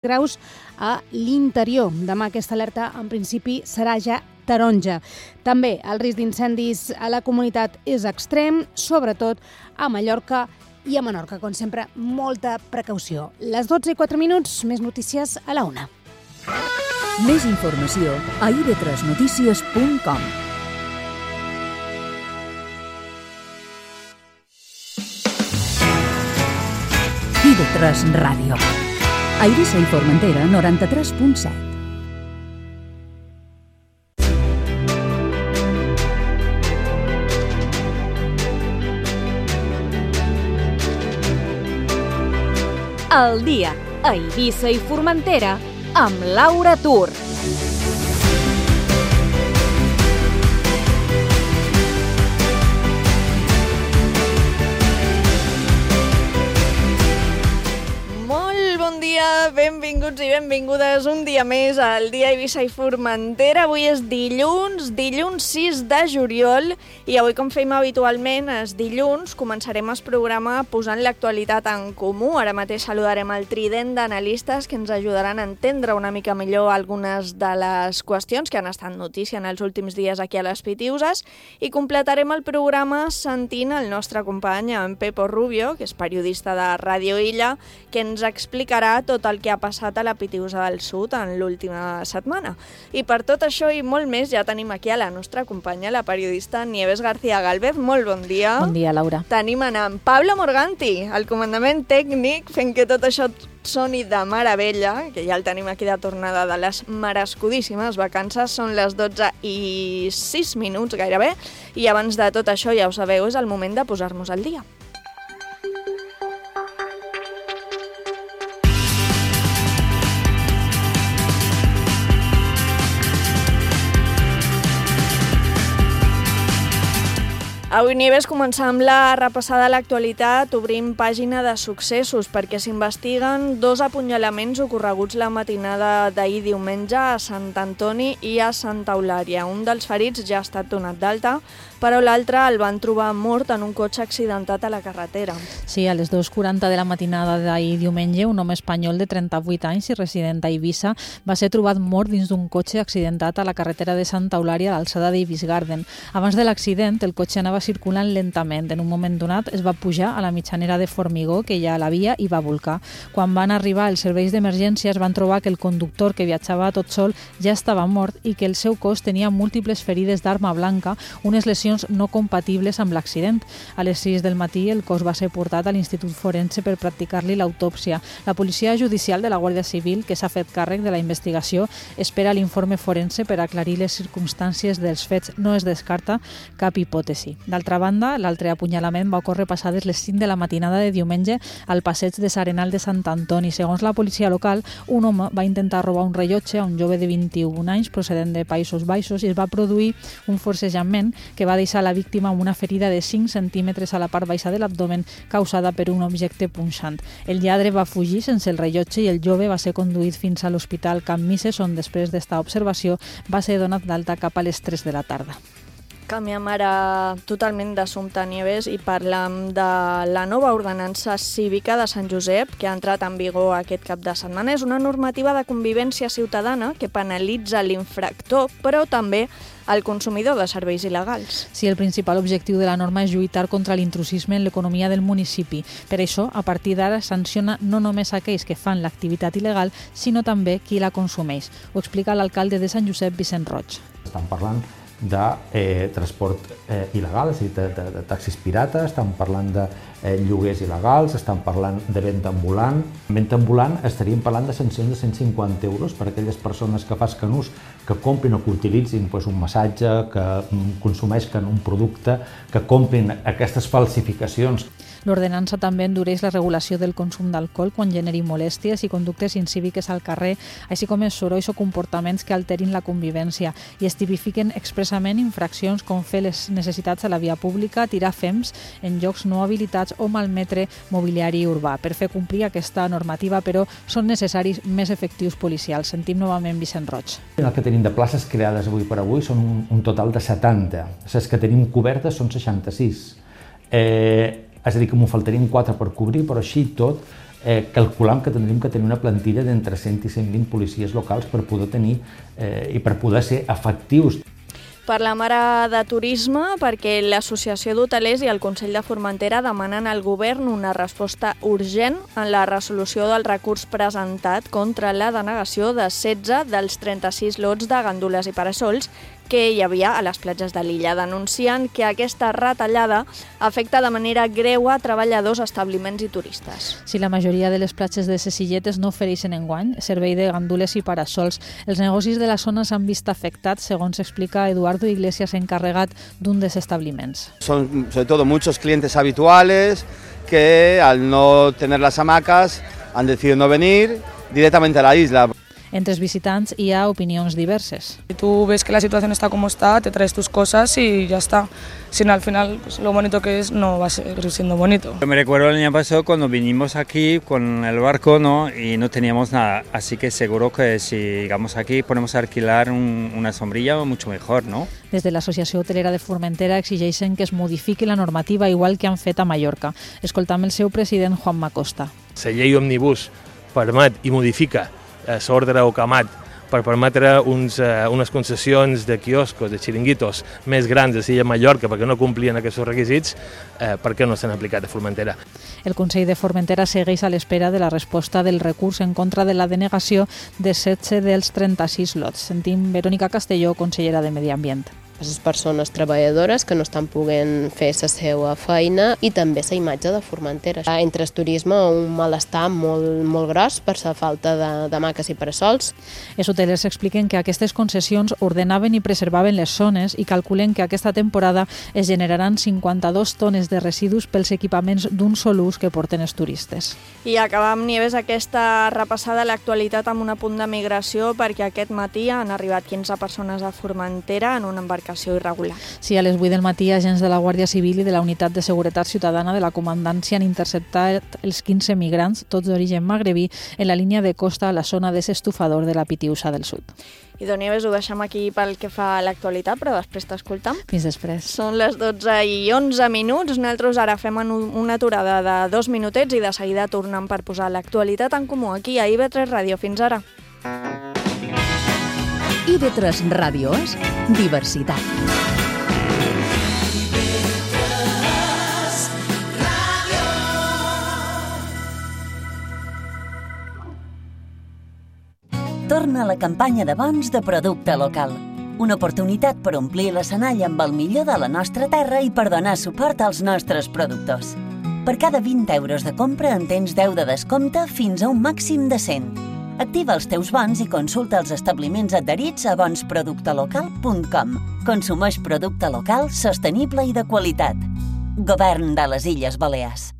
graus a l'interior. Demà aquesta alerta en principi serà ja taronja. També el risc d'incendis a la comunitat és extrem, sobretot a Mallorca i a Menorca. Com sempre, molta precaució. Les 12:04, més notícies a la 1. Més informació a ib3notícies.com. IB3 Ràdio. A Eivissa i Formentera, 93.7. El dia a Eivissa i Formentera amb Laura Tur. Benvinguts i benvingudes un dia més al dia a Eivissa i Formentera. Avui és dilluns 6 de juliol i avui, com fem habitualment, els dilluns començarem el programa posant l'actualitat en comú. Ara mateix saludarem el trident d'analistes que ens ajudaran a entendre una mica millor algunes de les qüestions que han estat notícia en els últims dies aquí a les Pitiuses i completarem el programa sentint el nostre company, en Pepo Rubio, que és periodista de Ràdio Illa, que ens explicarà tot el que ha passat a la Pitiusa del Sud en l'última setmana. I per tot això i molt més ja tenim aquí a la nostra companya, la periodista Nieves García Gálvez. Molt bon dia. Bon dia, Laura. Tenim en Pablo Morganti, el comandament tècnic, fent que tot això soni de meravella, que ja el tenim aquí de tornada de les merescudíssimes vacances. Són les 12:06 gairebé, i abans de tot això, ja ho sabeu, és el moment de posar-nos al dia. Avui, Nieves, començar amb la repassada de l'actualitat. Obrim pàgina de successos perquè s'investiguen 2 apunyalaments ocorreguts la matinada d'ahir diumenge a Sant Antoni i a Santa Eulària. Un dels ferits ja ha estat donat d'alta, però l'altre el van trobar mort en un cotxe accidentat a la carretera. Sí, a les 2:40 de la matinada d'ahir diumenge, un home espanyol de 38 anys i resident a Eivissa va ser trobat mort dins d'un cotxe accidentat a la carretera de Santa Eulària a l'alçada d'Eivissa Garden. Abans de l'accident, el cotxe anava circulant lentament. En un moment donat es va pujar a la mitjanera de formigó que hi ha a la via i va volcar. Quan van arribar els serveis d'emergència es van trobar que el conductor, que viatjava tot sol, ja estava mort i que el seu cos tenia múltiples ferides d'arma blanca, unes lesions no compatibles amb l'accident. A les 6 del matí el cos va ser portat a l'Institut Forense per practicar-li l'autòpsia. La policia judicial de la Guàrdia Civil, que s'ha fet càrrec de la investigació, espera l'informe forense per aclarir les circumstàncies dels fets. No es descarta cap hipòtesi. D'altra banda, l'altre apunyalament va ocórrer passades les 5 de la matinada de diumenge al passeig de S'Arenal de Sant Antoni. Segons la policia local, un home va intentar robar un rellotge a un jove de 21 anys procedent de Països Baixos i es va produir un forcejament que va deixar la víctima amb una ferida de 5 centímetres a la part baixa de l'abdomen causada per un objecte punxant. El lladre va fugir sense el rellotge i el jove va ser conduït fins a l'Hospital Can Misses, on després d'esta observació va ser donat d'alta cap a les 3 de la tarda. Canviem ara totalment d'assumpte, Nieves, i parlem de la nova ordenança cívica de Sant Josep que ha entrat en vigor aquest cap de setmana. És una normativa de convivència ciutadana que penalitza l'infractor, però també el consumidor de serveis il·legals. Sí, el principal objectiu de la norma és lluitar contra l'intrusisme en l'economia del municipi. Per això, a partir d'ara, sanciona no només aquells que fan l'activitat il·legal, sinó també qui la consumeix. Ho explica l'alcalde de Sant Josep, Vicent Roig. Estan parlant de transport il·legal, és a dir, de taxis pirates, estan parlant de lloguers il·legals, estan parlant de venda ambulant. En venda ambulant estaríem parlant de sancions de 150 euros per a aquelles persones que facin ús, que comprin o que utilitzin un massatge, que consumeixen un producte, que comprin aquestes falsificacions. L'ordenança també endureix la regulació del consum d'alcohol quan generi molèsties i conductes incíviques al carrer, així com els sorolls o comportaments que alterin la convivència, i es tipifiquen expressament infraccions com fer les necessitats a la via pública, tirar fems en llocs no habilitats o malmetre mobiliari urbà. Per fer complir aquesta normativa, però, són necessaris més efectius policials. Sentim novament Vicent Roig. El que tenim de places creades avui per avui són un total de 70. Les que tenim cobertes són 66. És a dir, que m'ho faltarien 4 per cobrir, però així tot calculam que tindríem que tenir una plantilla d'entre 100 i 120 policies locals per poder tenir i per poder ser efectius. Parlem ara de turisme perquè l'Associació d'Hotelers i el Consell de Formentera demanen al govern una resposta urgent en la resolució del recurs presentat contra la denegació de 16 dels 36 lots de gandules i parasols que hi havia a les platges de l'illa. Denuncien que aquesta retallada afecta de manera greu a treballadors, establiments i turistes. Si la majoria de les platges de ses illetes no ofereixen enguany servei de gandules i parasols, els negocis de la zona s'han vist afectats, segons explica Eduardo Iglesias, encarregat d'un dels establiments. Son sobre todo muchos clientes habituales que al no tener las hamacas han decidido no venir directamente a la isla. Entre els visitants hi ha opinions diverses. Si tú ves que la situación está como está, te traes tus cosas y ya está. Si no, al final, pues, lo bonito que es no va a seguir siendo bonito. Yo me recuerdo el año pasado cuando vinimos aquí con el barco, ¿no? Y no teníamos nada, así que seguro que si llegamos aquí ponemos a alquilar una sombrilla mucho mejor, ¿no? Des de l'Associació Hotelera de Formentera exigeixen que es modifiqui la normativa igual que han fet a Mallorca. Escoltam el seu president, Juanma Costa. La llei Òmnibus permet i modifica l'ordre OCAMAT per permetre unes concessions de quioscos, de xiringuitos més grans a l'illa Mallorca perquè no complien aquests requisits, perquè no s'han aplicat a Formentera. El Consell de Formentera segueix a l'espera de la resposta del recurs en contra de la denegació de 16 dels 36 lots. Sentim Verònica Castelló, consellera de Medi Ambient. Les persones treballadores que no estan podent fer la seva feina i també la imatge de Formentera. Entre el turisme un malestar molt gros per la falta d'hamaques i parasols. Els hotelers expliquen que aquestes concessions ordenaven i preservaven les zones i calculen que aquesta temporada es generaran 52 tones de residus pels equipaments d'un sol ús que porten els turistes. I acabam, Nieves, aquesta repassada a l'actualitat amb un apunt de migració perquè aquest matí han arribat 15 persones a Formentera en una embarcació irregular. Sí, a les 8 del matí, agents de la Guàrdia Civil i de la Unitat de Seguretat Ciutadana de la Comandància han interceptat els 15 migrants, tots d'origen magrebí, en la línia de costa a la zona de l'estufador de la Pitiusa del Sud. I Nieves, ho deixem aquí pel que fa a l'actualitat, però després t'escoltam. Fins després. Són les 12:11. Nosaltres ara fem una aturada de 2 minutets i de seguida tornem per posar l'actualitat en comú aquí a IB3 Ràdio. Fins ara. IB3 Ràdio és diversitat. Torna a la campanya de bons de producte local. Una oportunitat per omplir l'escenari amb el millor de la nostra terra i per donar suport als nostres productors. Per cada 20 euros de compra en tens 10 de descompte fins a un màxim de 100. Activa els teus bons i consulta els establiments adherits a bonsproductelocal.com. Consumeix producte local, sostenible i de qualitat. Govern de les Illes Balears.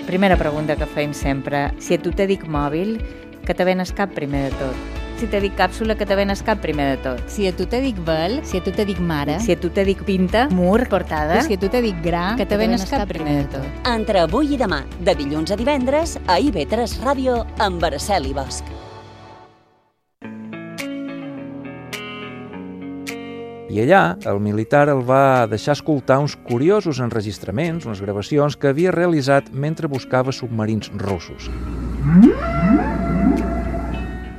Primera pregunta que fem sempre. Si a tu te dic mòbil, que te venes cap primer de tot? Si te dic càpsula, que te venes cap primer de tot? Si a tu te dic vel, si a tu te dic mare, si a tu te dic pinta, mur, portada, i si a tu te dic gra, que te venes cap primer de tot? Entre avui i demà, de dilluns a divendres, a IB3 Ràdio amb Araceli Bosch. I allà, el militar el va deixar escoltar uns curiosos enregistraments, unes gravacions que havia realitzat mentre buscava submarins russos.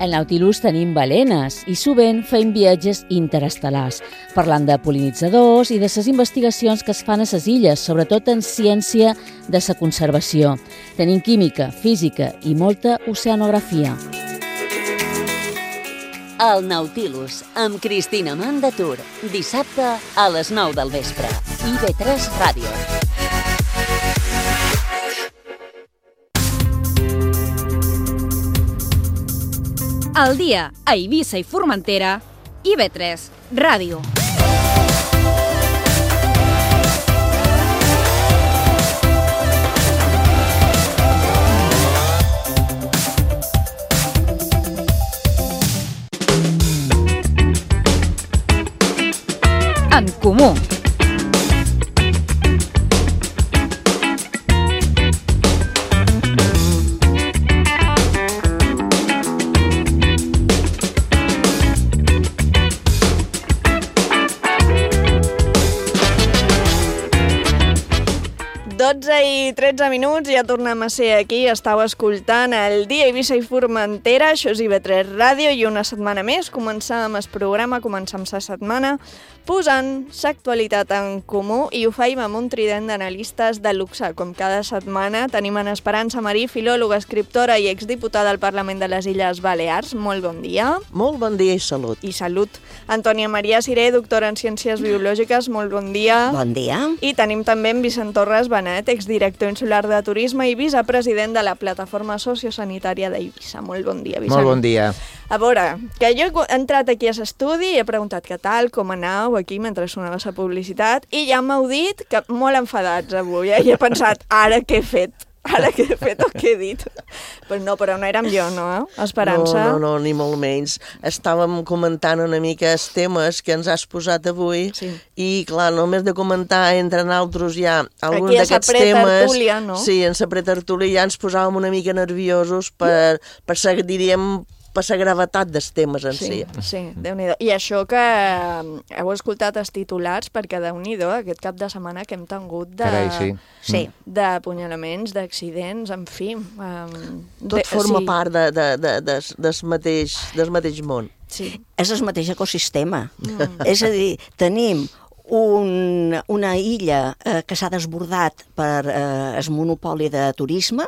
Al Nautilus tenim balenes i sovint fem viatges interestel·lars, parlant de pol·linitzadors i de les investigacions que es fan a les illes, sobretot en ciència de la conservació. Tenim química, física i molta oceanografia. El Nautilus, amb Cristina Mandatur, dissabte a les 9 del vespre. IB3 Ràdio. Al dia a Eivissa i Formentera, IB3 Ràdio. En comú. 12:13, ja tornem a ser aquí. Estàu escoltant el Dia Eivissa i Formentera, això és IB3 Ràdio, i una setmana més començam el programa, començam la setmana posant l'actualitat en comú, i ho faim amb un trident d'analistes de luxe. Com cada setmana tenim en Esperança Marí, filòloga, escriptora i exdiputada al Parlament de les Illes Balears. Molt bon dia. Molt bon dia i salut. I salut. Antònia Maria Ciré, doctora en Ciències Biològiques, molt bon dia. Bon dia. I tenim també en Vicent Torres Benet, exdirector insular de Turisme i vicepresident de la Plataforma Sociosanitària d'Eivissa. Molt bon dia, Vicent. Molt bon dia. A veure, que jo he entrat aquí a l'estudi i he preguntat què tal, com anau aquí mentre sonava la publicitat, i ja m'heu dit que molt enfadats avui, i he pensat, ara què he fet? Ara què he fet o què he dit? Però no érem jo, no? Esperança? No, ni molt menys. Estàvem comentant una mica els temes que ens has posat avui, i clar, només de comentar entre nosaltres ja algun d'aquests temes... Tertúlia, no? Sí, en la pretertúlia ja ens posàvem una mica nerviosos per ser, diríem, per la gravetat dels temes en si. Sí, Déu-n'hi-do. I això que heu escoltat els titulars, perquè Déu-n'hi-do, aquest cap de setmana que hem tingut d'apunyalaments, d'accidents, en fi. Tot forma part del mateix món. Sí. És el mateix ecosistema. És a dir, tenim una illa que s'ha desbordat per el monopoli de turisme.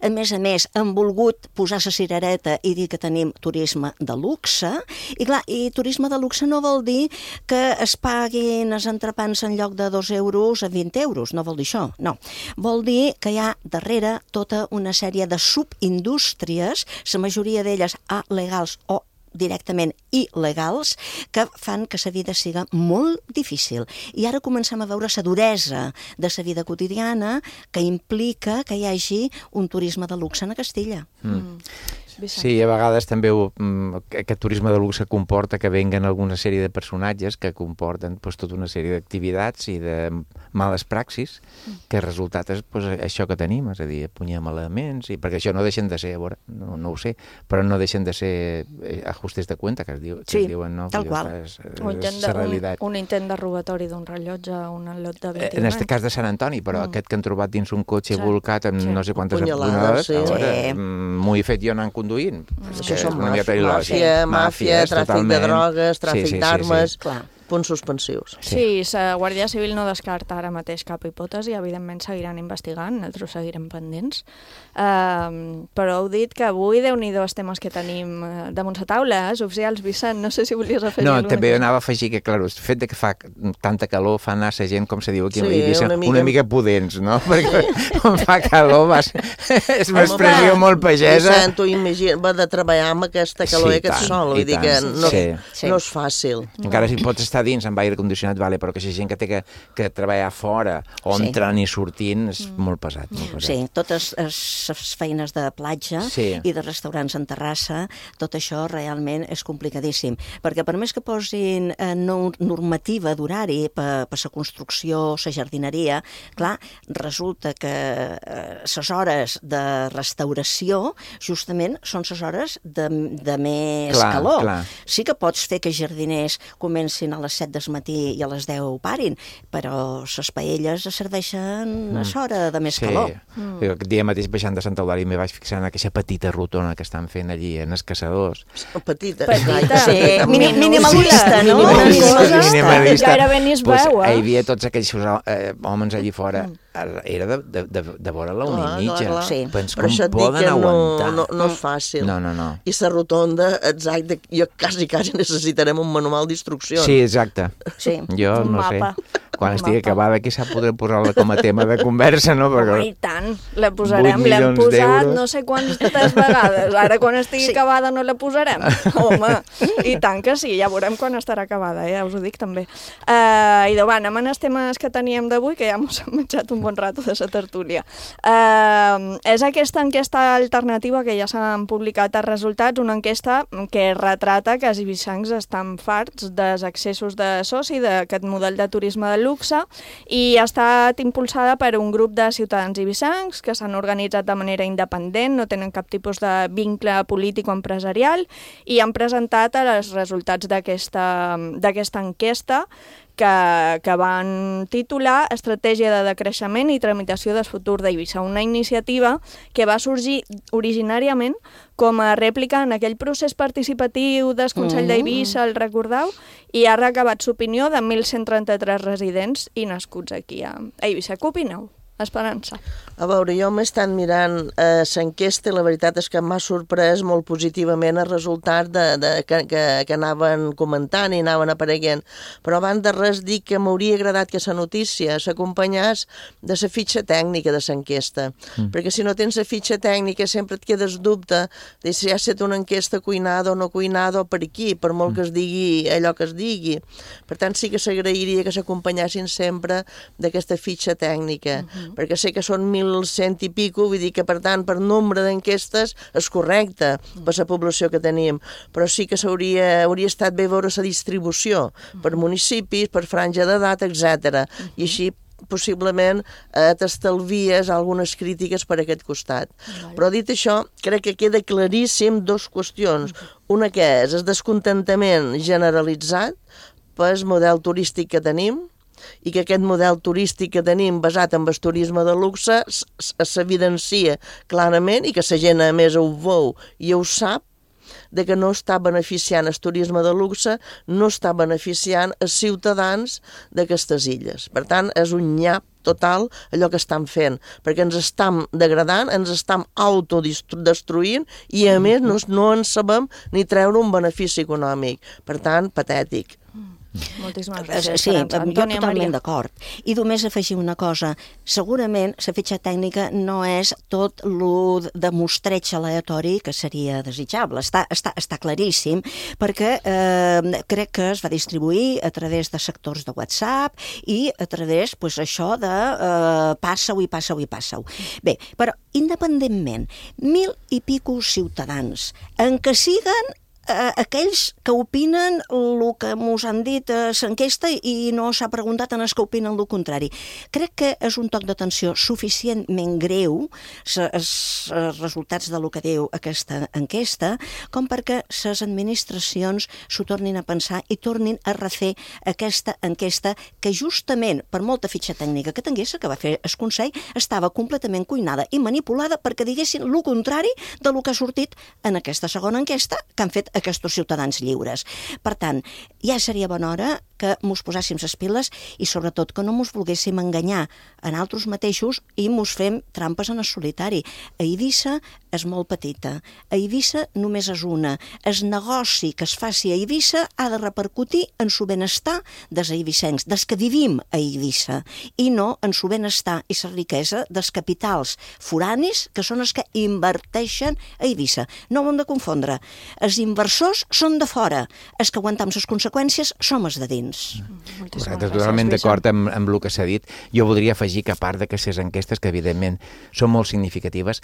A més, han volgut posar la cirereta i dir que tenim turisme de luxe. I clar, turisme de luxe no vol dir que es paguin els entrepans en lloc de 2 euros a 20 euros. No vol dir això, no. Vol dir que hi ha darrere tota una sèrie de subindústries, la majoria d'elles legals o directament il·legals, que fan que la vida siga molt difícil. I ara comencem a veure la duresa de la vida quotidiana que implica que hi hagi un turisme de luxe a Castilla. Sí, a vegades també aquest turisme de luxe comporta que venguen alguna sèrie de personatges que comporten tota una sèrie d'activitats i de males praxis, que el resultat és això que tenim, és a dir, apunyalaments, perquè això no deixen de ser, a veure, no ho sé, però no deixen de ser ajustes de cuenta, que es diuen, no? Tal qual. És la realitat. Un intent de robatori d'un rellotge, un lot de 21 En aquest cas de Sant Antoni, però aquest que han trobat dins un cotxe volcat amb no sé quantes apunyalades, m'ho he fet jo anant conduint. Això són màfia, tràfic de drogues, tràfic d'armes, punts suspensius. Sí, la Guàrdia Civil no descarta ara mateix cap hipòtesi, evidentment seguiran investigant, nosaltres seguirem pendents, però heu dit que avui, Déu-n'hi-do, els temes que tenim damunt la taula, oficials, Vicent, no sé si volies afegir alguna cosa. No, també anava a afegir que, clar, el fet que fa tanta calor fa anar la gent, com se diu aquí a Eivissa, una mica pudents, no? Perquè quan fa calor és una expressió molt pagesa. Vicent, tu imagina, va de treballar amb aquesta calor i aquest sol, vull dir que no és fàcil. Encara si pots estar dins amb aire condicionat, vale, però que la gent que té que treballar fora o entrant i sortint és molt pesat. Sí, totes les feines de platja i de restaurants en terrassa, tot això realment és complicadíssim, perquè per més que posin normativa d'horari per la construcció, la jardineria, clar, resulta que les hores de restauració justament són les hores de més calor. Sí que pots fer que jardiners comencin a les 7 del matí i a les 10 parin, però les paelles serveixen a l'hora de més calor. Jo aquest dia mateix baixant de Santa Eulàlia me vaig fixar en aquesta petita rotona que estan fent allí en els caçadors. Petita. Minimalista, no? Minimalista. Gairebé ni es veu, Hi havia tots aquells homes allí fora. Era de vora la 1:30. Però això et dic que no és fàcil. No. I la rotonda, exacte, jo quasi necessitarem un manual d'instruccions. Sí, exacte. Jo no sé. Quan estigui acabada aquí s'ha podré posar-la com a tema de conversa, no? I tant, la posarem, l'hem posat no sé quantes vegades. Ara quan estigui acabada no la posarem. Home, i tant que sí, ja veurem quan estarà acabada, ja us ho dic també. I va, anem als temes que teníem d'avui, que ja m'ho hem menjat un bon rato de la tertúlia. És aquesta enquesta alternativa que ja s'han publicat els resultats, una enquesta que retrata que els eivissencs estan farts dels excessos de soci d'aquest model de turisme de luxe i ha estat impulsada per un grup de ciutadans eivissencs que s'han organitzat de manera independent, no tenen cap tipus de vincle polític o empresarial i han presentat els resultats d'aquesta enquesta que van titular Estratègia de decreixement i tramitació del futur d'Eivissa, una iniciativa que va sorgir originàriament com a rèplica en aquell procés participatiu del Consell d'Eivissa, el recordeu? I ha recabat l'opinió de 1.133 residents i nascuts aquí a Eivissa. Què opineu? Esperança. A veure, jo m'he estat mirant l'enquesta i la veritat és que m'ha sorprès molt positivament el resultat que anaven comentant i anaven apareguent. Però abans de res dic que m'hauria agradat que la notícia s'acompanyés de la fitxa tècnica de l'enquesta. Perquè si no tens la fitxa tècnica sempre et quedes dubte de si ha estat una enquesta cuinada o no cuinada o per aquí, per molt que es digui allò que es digui. Per tant, sí que s'agrairia que s'acompanyessin sempre d'aquesta fitxa tècnica. Perquè sé que són 1.100 i pico, vull dir que, per tant, per nombre d'enquestes és correcte per la població que tenim, però sí que hauria estat bé veure la distribució per municipis, per franja d'edat, etc. I així possiblement t'estalvies algunes crítiques per aquest costat. Però dit això, crec que queda claríssim dues qüestions. Una que és el descontentament generalitzat pel model turístic que tenim, i que aquest model turístic que tenim basat en el turisme de luxe s'evidencia clarament i que la gent a més ho veu i ho sap de que no està beneficiant el turisme de luxe, no està beneficiant els ciutadans d'aquestes illes. Per tant, és un nyap total allò que estan fent, perquè ens estam degradant, ens estam autodestruint i a més no en sabem ni treure un benefici econòmic. Per tant, patètic. Moltíssimes gràcies. Sí, jo totalment d'acord. I només afegir una cosa. Segurament la fitxa tècnica no és tot el de mostreig aleatori que seria desitjable. Està claríssim, perquè crec que es va distribuir a través de sectors de WhatsApp i a través, doncs, això de passa-ho i passa-ho i passa-ho. Bé, però independentment, 1.000 i pico ciutadans, en què siguen aquells que opinen el que ens han dit a l'enquesta i no s'ha preguntat en els que opinen el contrari. Crec que és un toc d'atenció suficientment greu els resultats del que diu aquesta enquesta com perquè les administracions s'ho tornin a pensar i tornin a refer aquesta enquesta que justament per molta fitxa tècnica que tingués, que va fer el Consell, estava completament cuinada i manipulada perquè diguessin el contrari del que ha sortit en aquesta segona enquesta que han fet aquests ciutadans lliures. Per tant, ja seria bona hora que mos posàssim les piles i sobretot que no mos volguéssim enganyar en altres mateixos i mos fem trampes en el solitari. Eivissa és molt petita. Eivissa només és una. El negoci que es faci a Eivissa ha de repercutir en el benestar dels eivissencs, dels que vivim a Eivissa, i no en el benestar i la riquesa dels capitals foranis que són els que inverteixen a Eivissa. No ho hem de confondre. Els inversors són de fora. Els que aguantam les conseqüències som els de dins. Correcte, totalment d'acord amb el que s'ha dit. Jo voldria afegir que a part de que les enquestes, que evidentment són molt significatives,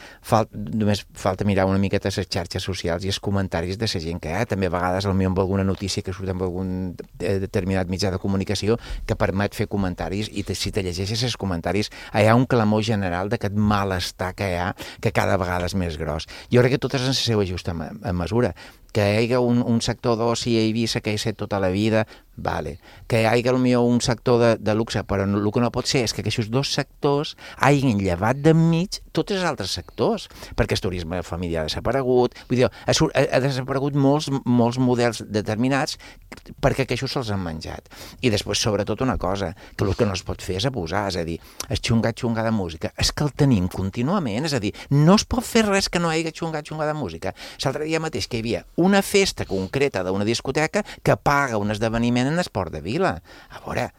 només falta mirar una miqueta les xarxes socials i els comentaris de la gent que hi ha. També a vegades potser amb alguna notícia que surt amb algun determinat mitjà de comunicació que permet fer comentaris i si te llegeixes els comentaris hi ha un clamor general d'aquest malestar que hi ha, que cada vegada és més gros. Jo crec que tot és en la seva justa mesura. Que hi hagi un sector d'oci a Eivissa que hi ha estat tota la vida, vale. Que hi hagi potser un sector de luxe, però el que no pot ser és que aquests dos sectors hagin llevat d'enmig tots els altres sectors, perquè el turisme familiar ha desaparegut, vull dir, ha desaparegut molts models determinats perquè aquests se'ls han menjat. I després, sobretot, una cosa, que el que no es pot fer és abusar, és a dir, el xungar de música, és que el tenim contínuament, és a dir, no es pot fer res que no hi hagi xungar de música. L'altre dia mateix que hi havia una festa concreta d'una discoteca que paga un esdeveniment en Esport de Vila. A veure,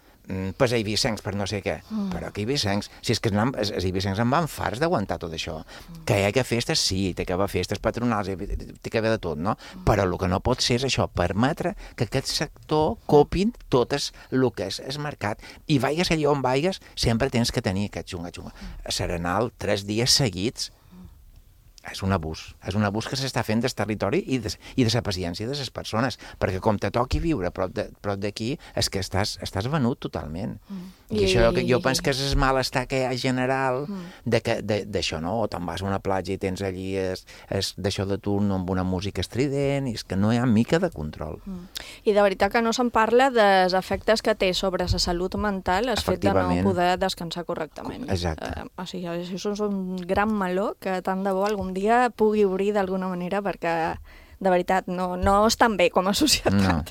per eivissencs, per no sé què. Però que eivissencs, si és que els eivissencs en van farts d'aguantar tot això. Que hi hagi festes, sí, té que haver festes patronals, té que haver de tot, no? Però el que no pot ser és això, permetre que aquest sector copin tot el que és el mercat. I vaigues allà on vaigues, sempre tens que tenir aquest xunga. Serenal 3 dies seguits. és un abús que s'està fent del territori i de la paciència de les persones, perquè com te toqui viure prop d'aquí, és que estàs venut totalment. I això jo penso que és el malestar que hi ha general d'això, no? O te'n vas a una platja i tens allí d'això de turno amb una música estrident, i és que no hi ha mica de control. I de veritat que no se'n parla dels efectes que té sobre la salut mental el fet de no poder descansar correctament. Exacte. O sigui, això és un gran meló que tant de bo algun dia pugui obrir d'alguna manera, perquè de veritat, no estan bé com a societat.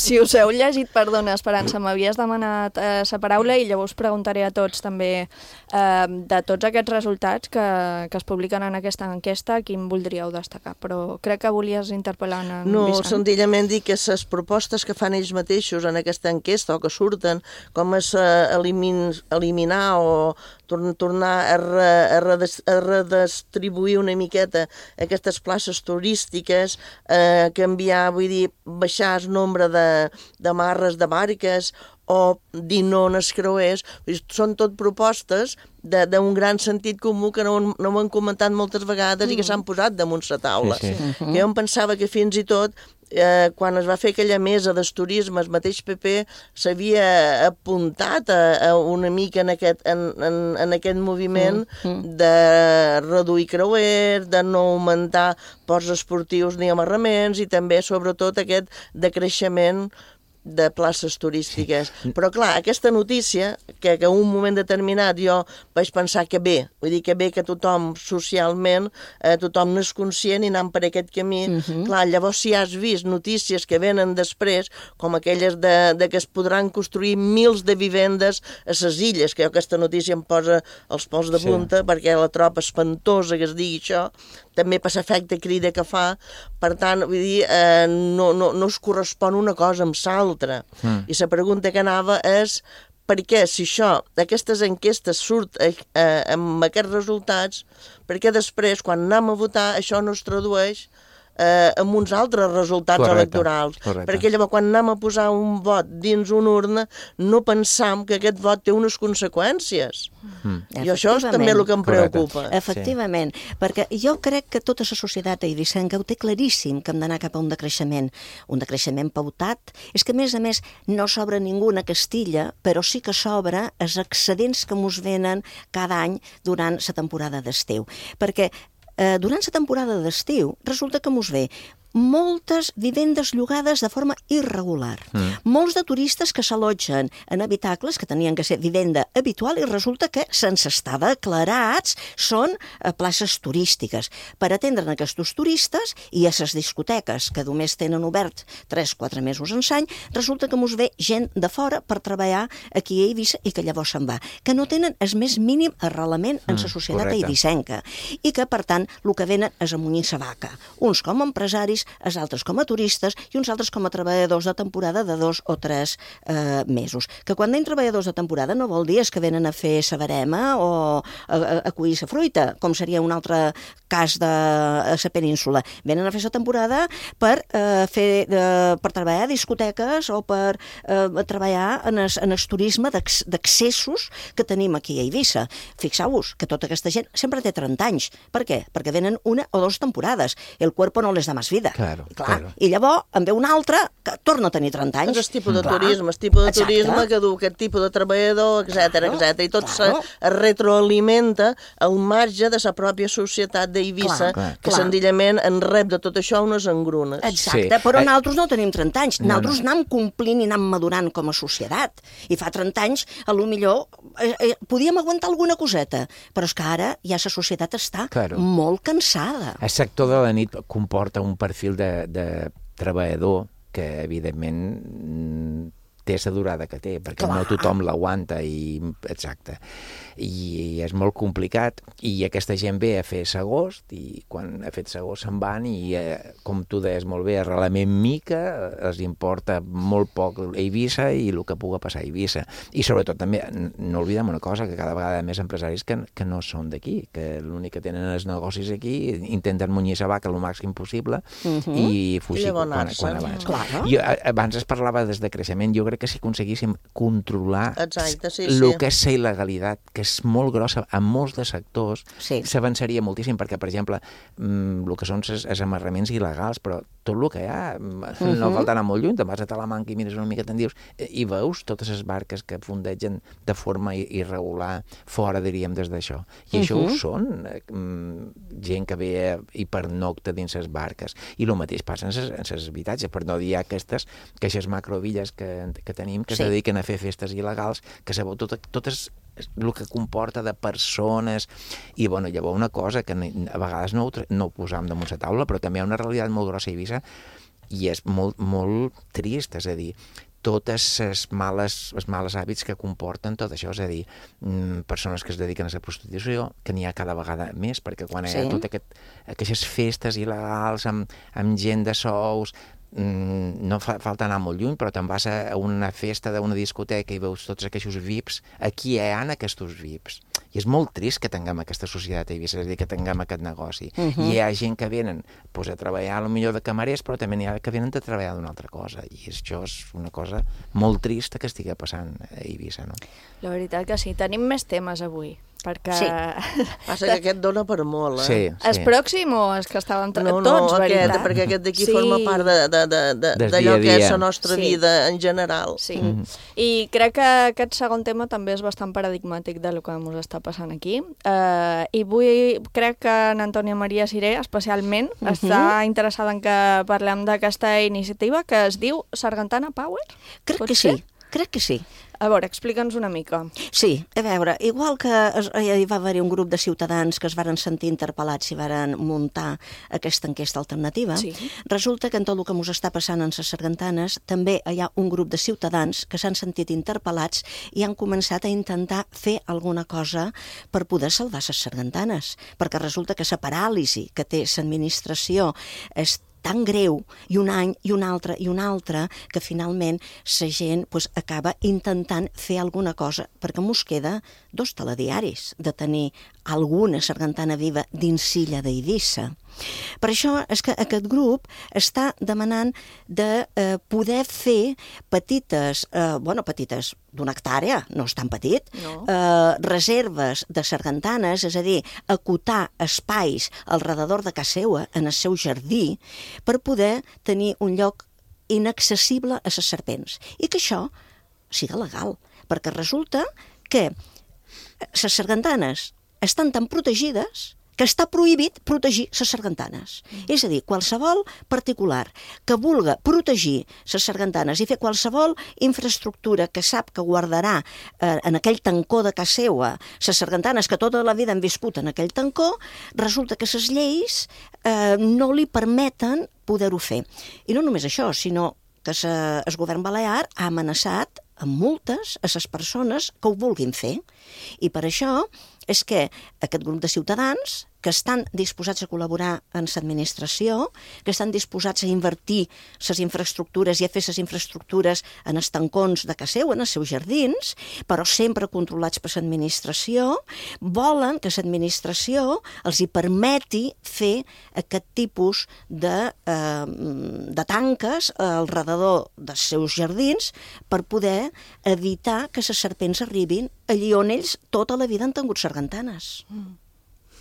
Si us heu llegit, perdona, Esperança, m'havies demanat la paraula i llavors preguntaré a tots també de tots aquests resultats que es publiquen en aquesta enquesta, quin voldríeu destacar? Però crec que volies interpel·lar en No, Vicent. senzillament dir que les propostes que fan ells mateixos en aquesta enquesta o que surten, com és eliminar o tornar a redistribuir una miqueta aquestes places turístiques, canviar, vull dir, baixar el nombre de marres de barques o dir no als creuers, són tot propostes d'un gran sentit comú que no ho han comentat moltes vegades i que s'han posat damunt la taula. Que jo em pensava que fins i tot quan es va fer aquella mesa del turisme, el mateix PP s'havia apuntat una mica en aquest moviment de reduir creuers, de no augmentar ports esportius ni amarraments i també, sobretot, aquest decreixement de places turístiques. Però, clar, aquesta notícia, que en un moment determinat jo vaig pensar que bé, vull dir que bé que tothom socialment, tothom n'és conscient i anant per aquest camí, clar, llavors si has vist notícies que venen després, com aquelles de que es podran construir mils de vivendes a les illes, que aquesta notícia em posa els pèls de punta, perquè la troba espantosa que es digui això, també per l'efecte crida que fa, per tant, vull dir, no es correspon una cosa amb l'altra. I la pregunta que anava és per què, si aquestes enquestes surt amb aquests resultats, per què després, quan anem a votar, això no es tradueix amb uns altres resultats electorals. Perquè llavors, quan anem a posar un vot dins una urna, no pensam que aquest vot té unes conseqüències. I això és també el que em preocupa. Efectivament, perquè jo crec que tota la societat eivissenca ho té claríssim que hem d'anar cap a un decreixement pautat. És que, a més, no s'obre ningú a Castilla, però sí que s'obre els excedents que mos venen cada any durant la temporada d'estiu. Perquè durant la temporada d'estiu resulta que mos ve moltes vivendes llogades de forma irregular. Molts de turistes que s'allotgen en habitacles que tenien que ser vivenda habitual i resulta que sense estar declarats són places turístiques. Per atendre aquests turistes i a les discoteques que només tenen obert 3-4 mesos en l'any, resulta que mos ve gent de fora per treballar aquí a Eivissa i que llavors se'n va, que no tenen el més mínim arrelament en la societat eivissenca i que, per tant, el que venen és a munyir sa vaca. Uns com a empresaris, els altres com a turistes i uns altres com a treballadors de temporada de 2 o 3 mesos. Que quan dèiem treballadors de temporada no vol dir que venen a fer sa verema o a collir sa fruita, com seria un altre cas de la península. Venen a fer sa temporada per treballar a discoteques o per treballar en el turisme d'accessos que tenim aquí a Eivissa. Fixeu-vos que tota aquesta gent sempre té 30 anys. Per què? Perquè venen 1 o 2 temporades. El cuerpo no les da más vida. Claro. I llavors en ve un altre que torna a tenir 30 anys. És el tipus de turisme, que du aquest tipus de treballador, etc. I tot se retroalimenta al marge de la pròpia societat d'Eivissa, que senzillament en rep de tot això unes engrunes. Exacte, però nosaltres no tenim 30 anys. Nosaltres anem complint i anem madurant com a societat. I fa 30 anys, potser podíem aguantar alguna coseta, però és que ara ja la societat està molt cansada. El sector de la nit comporta un perfil de treballador que, evidentment, té la durada que té, perquè no tothom l'aguanta i és molt complicat, i aquesta gent ve a fer s'agost i quan ha fet s'agost se'n van i, com tu deies molt bé, arrelament mica, els importa molt poc a Eivissa i el que pugui passar a Eivissa. I sobretot també, no oblidem una cosa, que cada vegada més empresaris que no són d'aquí, que l'únic que tenen els negocis aquí, intenten munyir la vaca el màxim possible i fugir quan abans. Jo abans es parlava des de creixement, jo crec crec que si aconseguíssim controlar el que és la il·legalitat, que és molt grossa en molts de sectors, s'avançaria moltíssim, perquè, per exemple, el que són els amarraments il·legals, però tot el que hi ha, no falta anar molt lluny, te'n vas a Talamanca i mires una mica, te'n dius, i veus totes les barques que fondegen de forma irregular fora, diríem, des d'això. I això ho són gent que ve i pernocta dins les barques. I el mateix passa en els habitatges, per no dir aquestes macrovilles que tenim, que es dediquen a fer festes il·legals, que sabeu totes el que comporta de persones. I, bueno, llavors una cosa que a vegades no ho posam damunt la taula, però també hi ha una realitat molt grossa a Eivissa i és molt, molt trist, és a dir, totes els males hàbits que comporten tot això, és a dir, persones que es dediquen a la prostitució, que n'hi ha cada vegada més, perquè quan hi ha totes aquestes festes il·legals amb gent de sous, no falta anar molt lluny, però te'n vas a una festa d'una discoteca i veus tots aquests VIPs, aquí hi ha aquests VIPs. I és molt trist que tinguem aquesta societat a Eivissa, és a dir, que tinguem aquest negoci. I hi ha gent que venen a treballar potser de camarers, però també n'hi ha que venen a treballar d'una altra cosa. I això és una cosa molt trista que estigui passant a Eivissa, no? La veritat que sí. Tenim més temes avui. Perquè... Passa que aquest dona per molt, És pròxim o és que estàvem tots, veritat? Perquè aquest d'aquí forma part d'allò que és la nostra vida en general. Sí, i crec que aquest segon tema també és bastant paradigmàtic del que ens està passant aquí. I crec que en Antònia Maria Siré, especialment, està interessada en que parlem d'aquesta iniciativa que es diu Sargantana Power? Crec que sí. A veure, explica'ns una mica. Sí, a veure, igual que hi va haver un grup de ciutadans que es varen sentir interpel·lats i varen muntar aquesta enquesta alternativa, resulta que en tot el que ens està passant en les sargantanes també hi ha un grup de ciutadans que s'han sentit interpel·lats i han començat a intentar fer alguna cosa per poder salvar les sargantanes, perquè resulta que la paràlisi que té l'administració és tan greu, i un any, i un altre, que finalment la gent acaba intentant fer alguna cosa, perquè mos queda 2 telediaris de tenir alguna sargantana viva dins l'illa d'Eivissa. Per això és que aquest grup està demanant de poder fer petites, d'una hectàrea, no és tan petit, reserves de sargantanes, és a dir, acotar espais al redador de casa seva, en el seu jardí, per poder tenir un lloc inaccessible a les serpents. I que això siga legal, perquè resulta que les sargantanes estan tan protegides que està prohibit protegir les sargantanes. És a dir, qualsevol particular que vulga protegir les sargantanes i fer qualsevol infraestructura que sap que guardarà en aquell tancó de casa seva les sargantanes que tota la vida han viscut en aquell tancó, resulta que les lleis no li permeten poder-ho fer. I no només això, sinó que el govern balear ha amenaçat amb multes a les persones que ho vulguin fer. I per això és que aquest grup de ciutadans que estan disposats a col·laborar en l'administració, que estan disposats a invertir les infraestructures i a fer les infraestructures en els tancons de casa seva, en els seus jardins, però sempre controlats per l'administració, volen que l'administració els hi permeti fer aquest tipus de tanques al redador dels seus jardins per poder evitar que les serpents arribin allí on ells tota la vida han tingut sargantanes.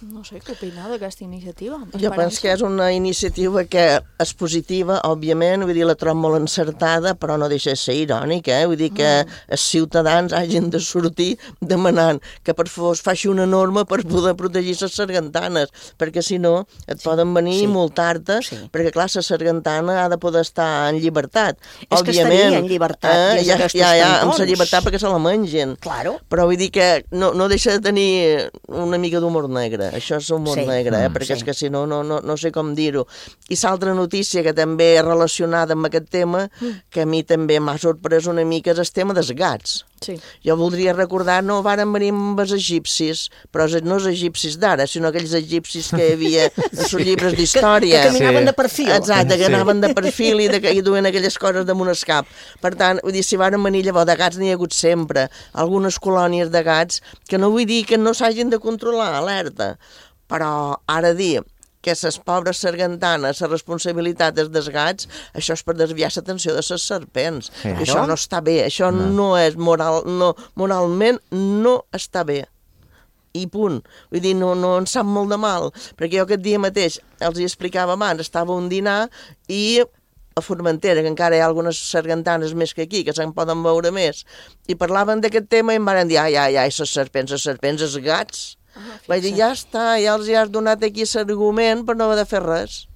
No sé què opinar d'aquesta iniciativa. Jo penso que és una iniciativa que és positiva, òbviament, vull dir, la trobo molt encertada, però no deixa de ser irònica, vull dir que els ciutadans hagin de sortir demanant que per favor es faci una norma per poder protegir les sargantanes, perquè si no et poden venir i multar-te, perquè clar, la sargantana ha de poder estar en llibertat. És que estaria en llibertat dins d'aquestos tancons. Amb la llibertat perquè se la mengen. Claro. Però vull dir que no deixa de tenir una mica d'humor negre. Això és humor negre, perquè és que si no, no sé com dir-ho. I l'altra notícia que també és relacionada amb aquest tema, que a mi també m'ha sorprès una mica, és el tema dels gats. Sí. Jo voldria recordar, no varen venir amb els egipcis, però no els egipcis d'ara, sinó aquells egipcis que hi havia en els llibres d'història. Que caminaven de perfil. Exacte, que anaven de perfil i duien aquelles coses damunt el cap. Per tant, vull dir, si varen venir llavors de gats n'hi ha hagut sempre, algunes colònies de gats, que no vull dir que no s'hagin de controlar, alerta, però ara dir que les pobres sargantanes, la responsabilitat és dels gats, això és per desviar l'atenció de les serpents. I això no està bé, això no és moralment no està bé. I punt. Vull dir, no en sap molt de mal, perquè jo aquest dia mateix els hi explicava abans, estava a un dinar i a Formentera, que encara hi ha algunes sargantanes més que aquí, que se'n poden veure més, i parlaven d'aquest tema i em van dir, ai, les serpents, els gats. Vaig dir, ja està, ja els has donat aquí l'argument per no haver de fer res.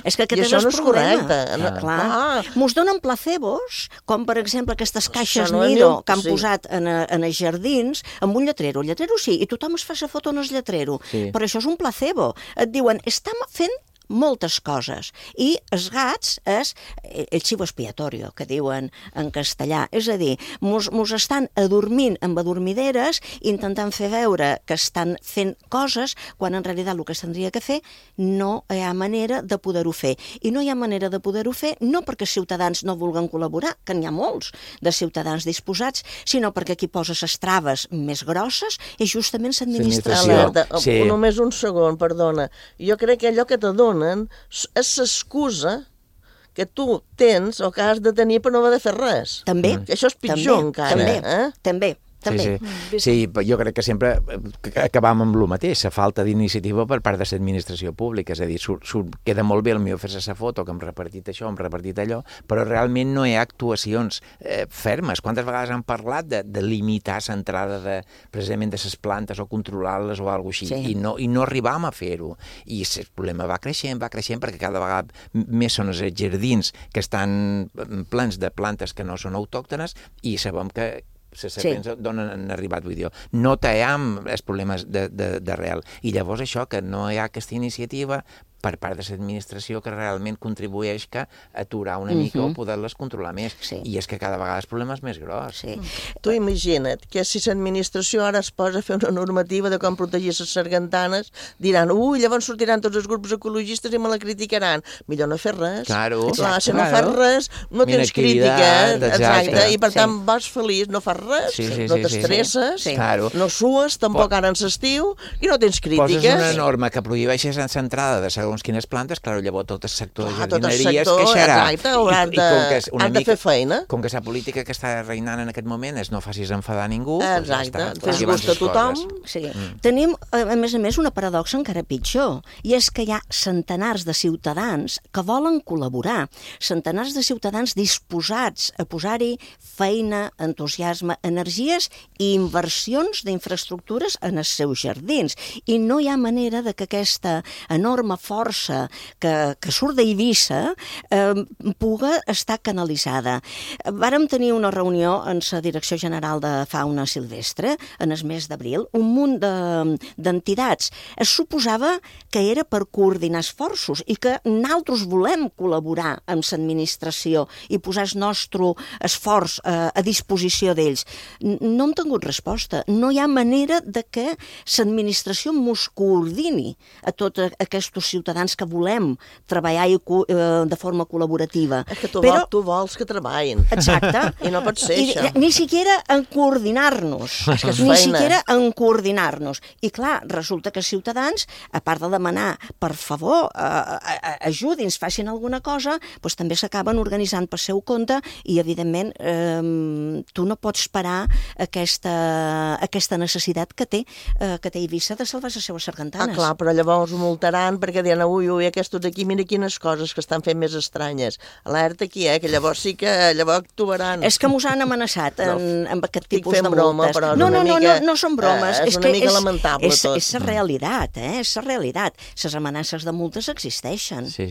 És que aquest és el problema. Clar. Mos donen placebos, com per exemple aquestes caixes Nido que han posat en els jardins, amb un lletrero. El lletrero sí, i tothom es fa la foto en el lletrero. Però això és un placebo. Et diuen, estem fent moltes coses. I els gats és el chivo expiatorio, que diuen en castellà. És a dir, mos estan adormint amb adormideres, intentant fer veure que estan fent coses, quan en realitat el que s'hauria que fer no hi ha manera de poder-ho fer. I no hi ha manera de poder-ho fer no perquè els ciutadans no vulguin col·laborar, que n'hi ha molts de ciutadans disposats, sinó perquè qui posa les traves més grosses és justament l'administració. Només un segon, perdona. Jo crec que allò que te dona és l'excusa que tu tens o que has de tenir per no haver de fer res. També. Això és pitjor encara. També. Sí, jo crec que sempre acabam amb el mateix, la falta d'iniciativa per part de l'administració pública, és a dir, queda molt bé el meu fer-se la foto, que hem repartit això, hem repartit allò, però realment no hi ha actuacions fermes. Quantes vegades han parlat de limitar l'entrada precisament de les plantes o controlar-les o alguna cosa així, i no arribam a fer-ho. I el problema va creixent, perquè cada vegada més són els jardins que estan plens de plantes que no són autòctones i sabem que les serpents d'on han arribat, vull dir, no tallem els problemes d'arrel. I llavors això, que no hi ha aquesta iniciativa per part de l'administració que realment contribueix a aturar una mica o poder-les controlar més. I és que cada vegada el problema és més gros. Tu imagina't que si l'administració ara es posa a fer una normativa de com protegir les sargantanes, diran, llavors sortiran tots els grups ecologistes i me la criticaran. Millor no fer res. Clar, si no fas res, no tens crítica. Exacte. I per tant vas feliç, no fas res, no t'estresses, no sues, tampoc ara en l'estiu, i no tens crítiques. Poses una norma que prohibeixes l'entrada de segons quines plantes, clar, llavors tot el sector de jardineria es queixarà. Han de fer feina. Com que la política que està reinant en aquest moment és no facis enfadar ningú, fes gust a tothom. Tenim, a més, una paradoxa encara pitjor, i és que hi ha centenars de ciutadans que volen col·laborar, centenars de ciutadans disposats a posar-hi feina, entusiasme, energies i inversions d'infraestructures en els seus jardins. I no hi ha manera de que aquesta enorme força que surt d'Eivissa puga estar canalitzada. Vàrem tenir una reunió en la Direcció General de Fauna Silvestre en el mes d'abril, un munt d'entitats. Es suposava que era per coordinar esforços i que nosaltres volem col·laborar amb l'administració i posar el nostre esforç a disposició d'ells. No hem tingut resposta. No hi ha manera de que l'administració mos coordini a tots aquests ciutadans que volem treballar de forma col·laborativa. És que tu vols que treballin. Exacte. I no pot ser això. Ni siquiera en coordinar-nos. Ni siquiera en coordinar-nos. I clar, resulta que els ciutadans, a part de demanar, per favor, ajudi'ns, facin alguna cosa, doncs també s'acaben organitzant per seu compte i, evidentment, tu no pots parar aquesta necessitat que té Eivissa de salvar les seves sargantanes. Clar, però llavors ho multaran perquè diuen, ui, aquests d'aquí, mira quines coses que estan fent més estranyes. Alerta aquí, que llavors sí que actuaran. És que mos han amenaçat amb aquest tipus de multes. Broma, però no són bromes. És una mica lamentable tot. És la realitat, és la realitat. Les amenaces de multes existeixen. Sí.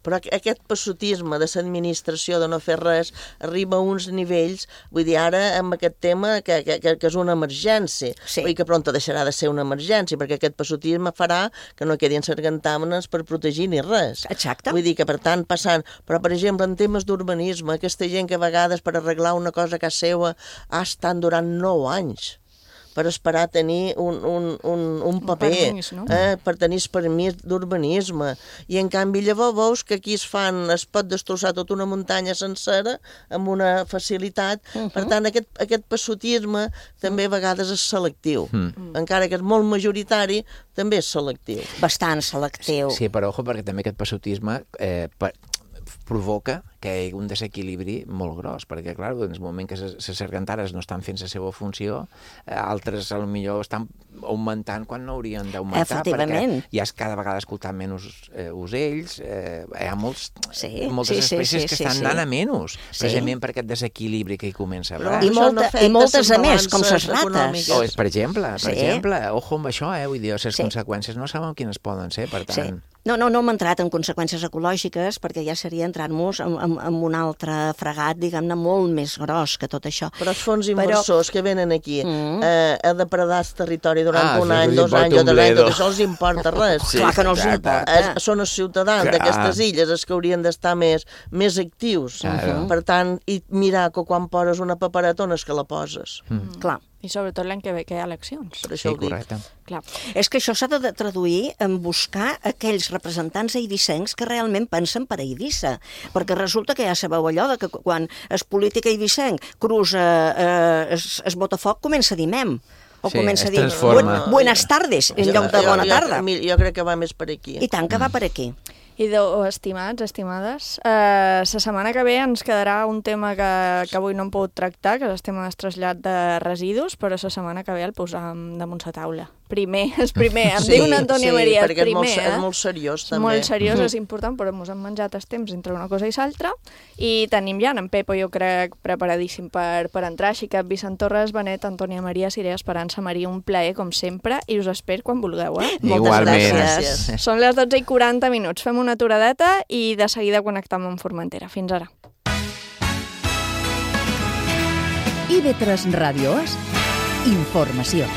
Però aquest passotisme de l'administració de no fer res arriba a uns nivells, vull dir, ara amb aquest tema que és una emergència. Vull dir que pronto deixarà de ser una emergència, perquè aquest passotisme farà que no quedin sargantàmenes per protegir ni res. Exacte. Vull dir que, per tant, passant... Però, per exemple, en temes d'urbanisme, aquesta gent que a vegades per arreglar una cosa a casa seva ha estat durant 9 anys. per esperar tenir un paper, permís, no? per tenir el permís d'urbanisme. I en canvi llavors veus que aquí es pot destrossar tota una muntanya sencera amb una facilitat. Per tant, aquest passotisme també a vegades és selectiu. Encara que és molt majoritari, també és selectiu. Bastant selectiu. Sí, però ojo, perquè també aquest passotisme provoca que hi hagi un desequilibri molt gros, perquè, clar, en el moment que les sargantares no estan fent la seva funció, altres, potser, estan augmentant quan no haurien d'augmentar, perquè hi ha cada vegada escoltant menys ocells, hi ha moltes espècies que estan anant a menys, precisament per aquest desequilibri que hi comença a haver. I moltes a més, com les rates. Per exemple, ojo amb això, vull dir, les conseqüències no sabem quines poden ser, per tant... No hem entrat en conseqüències ecològiques perquè ja seria entrar-nos en un altre fregat, diguem-ne, molt més gros que tot això. Però els fons inversors que venen aquí a depredar el territori durant un any, 2 anys o 3 anys, tot això els importa res. Clar que no els importa. Són els ciutadans d'aquestes illes els que haurien d'estar més actius. Per tant, i mirar que quan poses una paperetona és que la poses. Clar. I sobretot l'any que ve que hi ha eleccions. Per això ho dic. Clar. És que això s'ha de traduir en buscar aquells representants eivissencs que realment pensen per a Eivissa. Perquè resulta que ja sabeu allò de que quan el polític eivissenc cruza es Botafoc comença a dir mem. O comença a dir buenas tardes en lloc de bona tarda. Jo crec que va més per aquí. I tant que va per aquí. Idò, estimats, estimades, la setmana que ve ens quedarà un tema que avui no hem pogut tractar, que és el tema del trasllat de residus, però la setmana que ve el posam damunt la taula. És primer, em diu una Antònia Maria, és primer. És molt seriós, també. Molt seriós, és important, però ens hem menjat el temps entre una cosa i l'altra, i tenim ja en Pepo, jo crec, preparadíssim per entrar, així que Vicent Torres, Benet, Antònia Maria, Siré, Esperança, Maria, un plaer, com sempre, i us espero quan vulgueu, Moltes gràcies. Són les 12:40, fem una aturadeta i de seguida connectam amb Formentera. Fins ara. IB3 Ràdio és informació.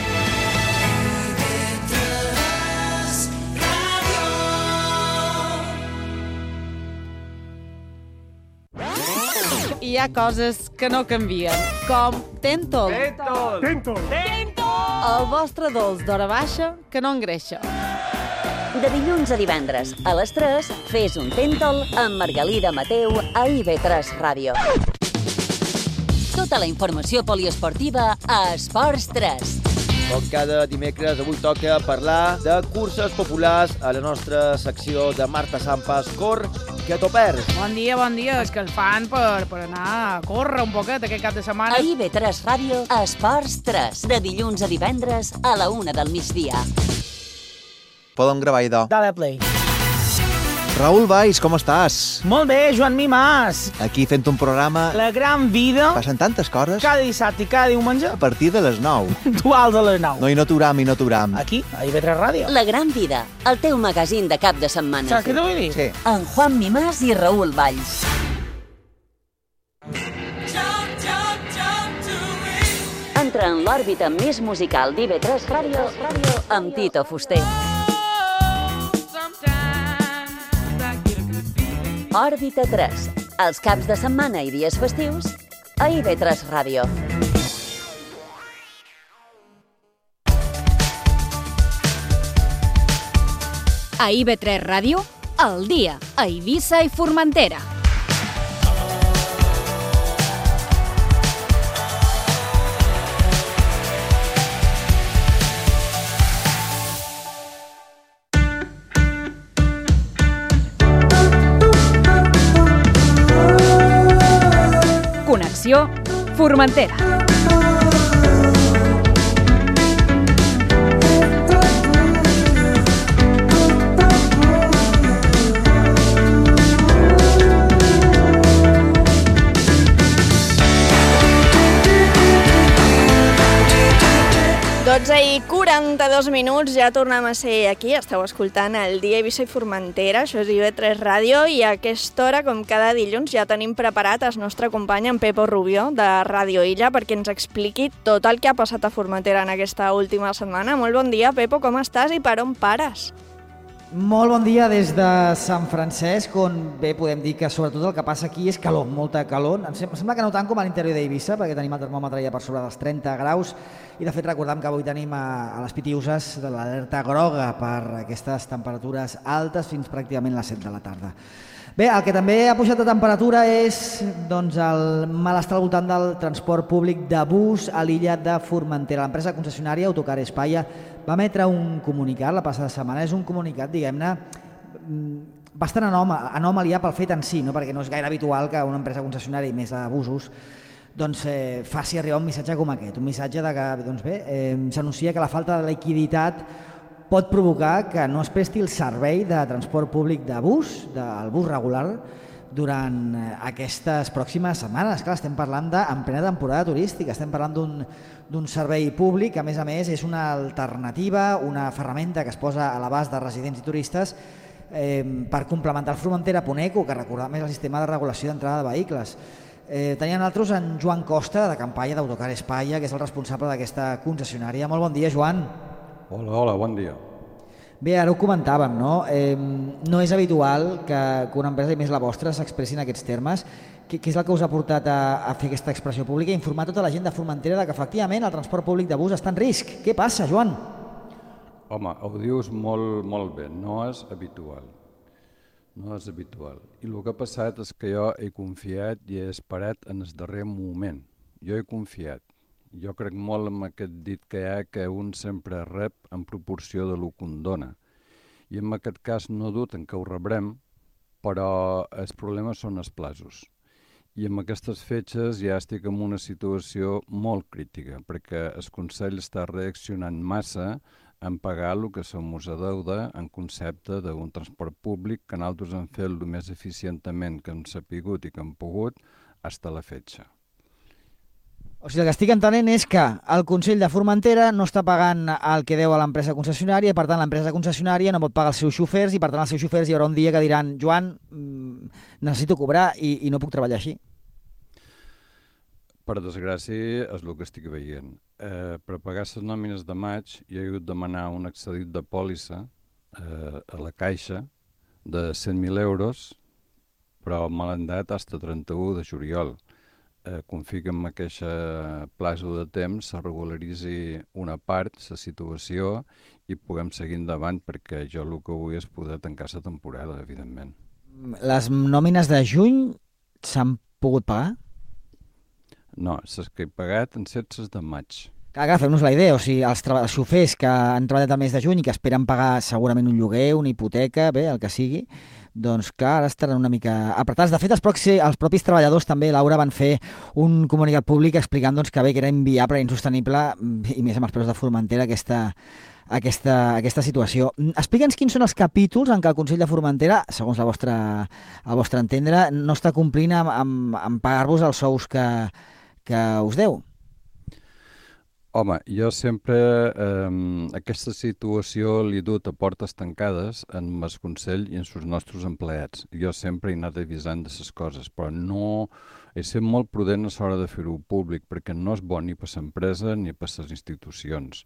Hi ha coses que no canvien, com Tentol. Tentol! El vostre dolç d'hora baixa que no engreixa. De dilluns a divendres, a les 3, fes un Tentol amb Margalida Mateu a IB3 Ràdio. Tota la informació poliesportiva a Esports 3. Com cada dimecres, avui toca parlar de curses populars a la nostra secció de Marta Sampas, Cor que t'ho perds. Bon dia, és que el fan per anar a córrer un poquet aquest cap de setmana. A IB3 Ràdio, Esports 3, de dilluns a divendres a la 1 del migdia. Podem gravar, idò. Dale play. Raül Valls, com estàs? Molt bé, Joan Mimàs. Aquí fent un programa... La gran vida. Passen tantes coses. Cada dissabte i cada diumenge. A partir de les 9. Duals a les 9. No, i no t'uram. Aquí, a IB3 Ràdio. La gran vida, el teu magazín de cap de setmana. Saps què t'ho vull dir? Sí. En Juan Mimàs i Raül Valls. Entra en l'òrbita més musical d'IB3 Ràdio amb Tito Fuster. Òrbita 3, els caps de setmana i dies festius a IB3 Ràdio. A IB3 Ràdio, al dia, a Eivissa i Formentera. Connexió Formentera. I 42 minuts, ja tornem a ser aquí, esteu escoltant el Dia Eivissa i Formentera, això és IB3 Ràdio, i a aquesta hora, com cada dilluns, ja tenim preparat el nostre company, en Pepo Rubió, de Ràdio Illa, perquè ens expliqui tot el que ha passat a Formentera en aquesta última setmana. Molt bon dia, Pepo, com estàs i per on pares? Molt bon dia des de Sant Francesc, on bé podem dir que sobretot el que passa aquí és calor, molta calor. Em sembla que no tant com a l'interior d'Eivissa, perquè tenim el termòmetre ja per sobre dels 30 graus, i de fet recordem que avui tenim a les Pitiuses de l'alerta groga per aquestes temperatures altes fins pràcticament les 7 de la tarda. Bé, el que també ha pujat de temperatura és doncs, el malestar al voltant del transport públic de bus a l'illa de Formentera. L'empresa concessionària Autocar España va emetre un comunicat la passada setmana. És un comunicat, diguem-ne, bastant anòmalia pel fet en si, no? Perquè no és gaire habitual que una empresa concessionària, i més de busos, doncs, faci arribar un missatge com aquest. Un missatge de que doncs bé, s'anuncia que la falta de liquiditat pot provocar que no es presti el servei de transport públic de bus, del bus regular, durant aquestes pròximes setmanes. Clar, estem parlant en plena temporada turística, estem parlant d'un servei públic que, a més, és una alternativa, una ferramenta que es posa a l'abast de residents i turistes per complementar el Formentera.eco, que recordar més el sistema de regulació d'entrada de vehicles. Teníem nosaltres en Joan Costa, de campanya d'Autocar España, que és el responsable d'aquesta concessionària. Molt bon dia, Joan. Hola, bon dia. Bé, ara ho comentàvem, no? No és habitual que una empresa, i més la vostra, s'expressi en aquests termes. Què és el que us ha portat a fer aquesta expressió pública i informar tota la gent de Formentera que efectivament el transport públic de bus està en risc? Què passa, Joan? Home, ho dius molt bé, no és habitual. No és habitual. I el que ha passat és que jo he confiat i he esperat en el darrer moment. Jo he confiat. Jo crec molt en aquest dit que hi ha que un sempre rep en proporció de lo que un dona. I en aquest cas no dubten que ho rebrem, però els problemes són els plazos. I en aquestes fetges ja estic en una situació molt crítica, perquè el Consell està reaccionant massa en pagar el que se mos adeuda en concepte d'un transport públic que nosaltres hem fet el més eficientment que hem sapigut i que hem pogut fins a la fetge. O sigui, el que estic entenent és que el Consell de Formentera no està pagant el que deu a l'empresa concessionària, per tant l'empresa concessionària no pot pagar els seus xofers i per tant els seus xofers hi haurà un dia que diran Joan, necessito cobrar i no puc treballar així. Per desgràcia és el que estic veient. Per pagar les nòmines de maig jo he hagut de demanar un excedit de pòlissa a la caixa de 100.000 euros, però me l'han dat fins a 31 de juliol. Confio que en aquest plazo de temps se regularitzi una part, la situació, i puguem seguir endavant, perquè jo el que vull és poder tancar la temporada, evidentment. Les nòmines de juny s'han pogut pagar? No, les que he pagat han set les de maig. Clar, fem-nos la idea, o sigui, els xofers que han treballat el mes de juny i que esperen pagar segurament un lloguer, una hipoteca, bé, el que sigui, doncs clar, ara estaran una mica apretats. De fet, els propis treballadors també, Laura, van fer un comunicat públic explicant doncs, que bé, que era inviable i insostenible, i més amb els preus de Formentera, aquesta situació. Explica'ns quins són els capítols en què el Consell de Formentera, segons el vostre entendre, no està complint amb pagar-vos els sous que us deu. Home, jo sempre aquesta situació l'he dut a portes tancades en el Consell i en els nostres empleats. Jo sempre he anat avisant de les coses, però no he estat molt prudent a l'hora de fer-ho públic, perquè no és bo ni per l'empresa ni per les institucions.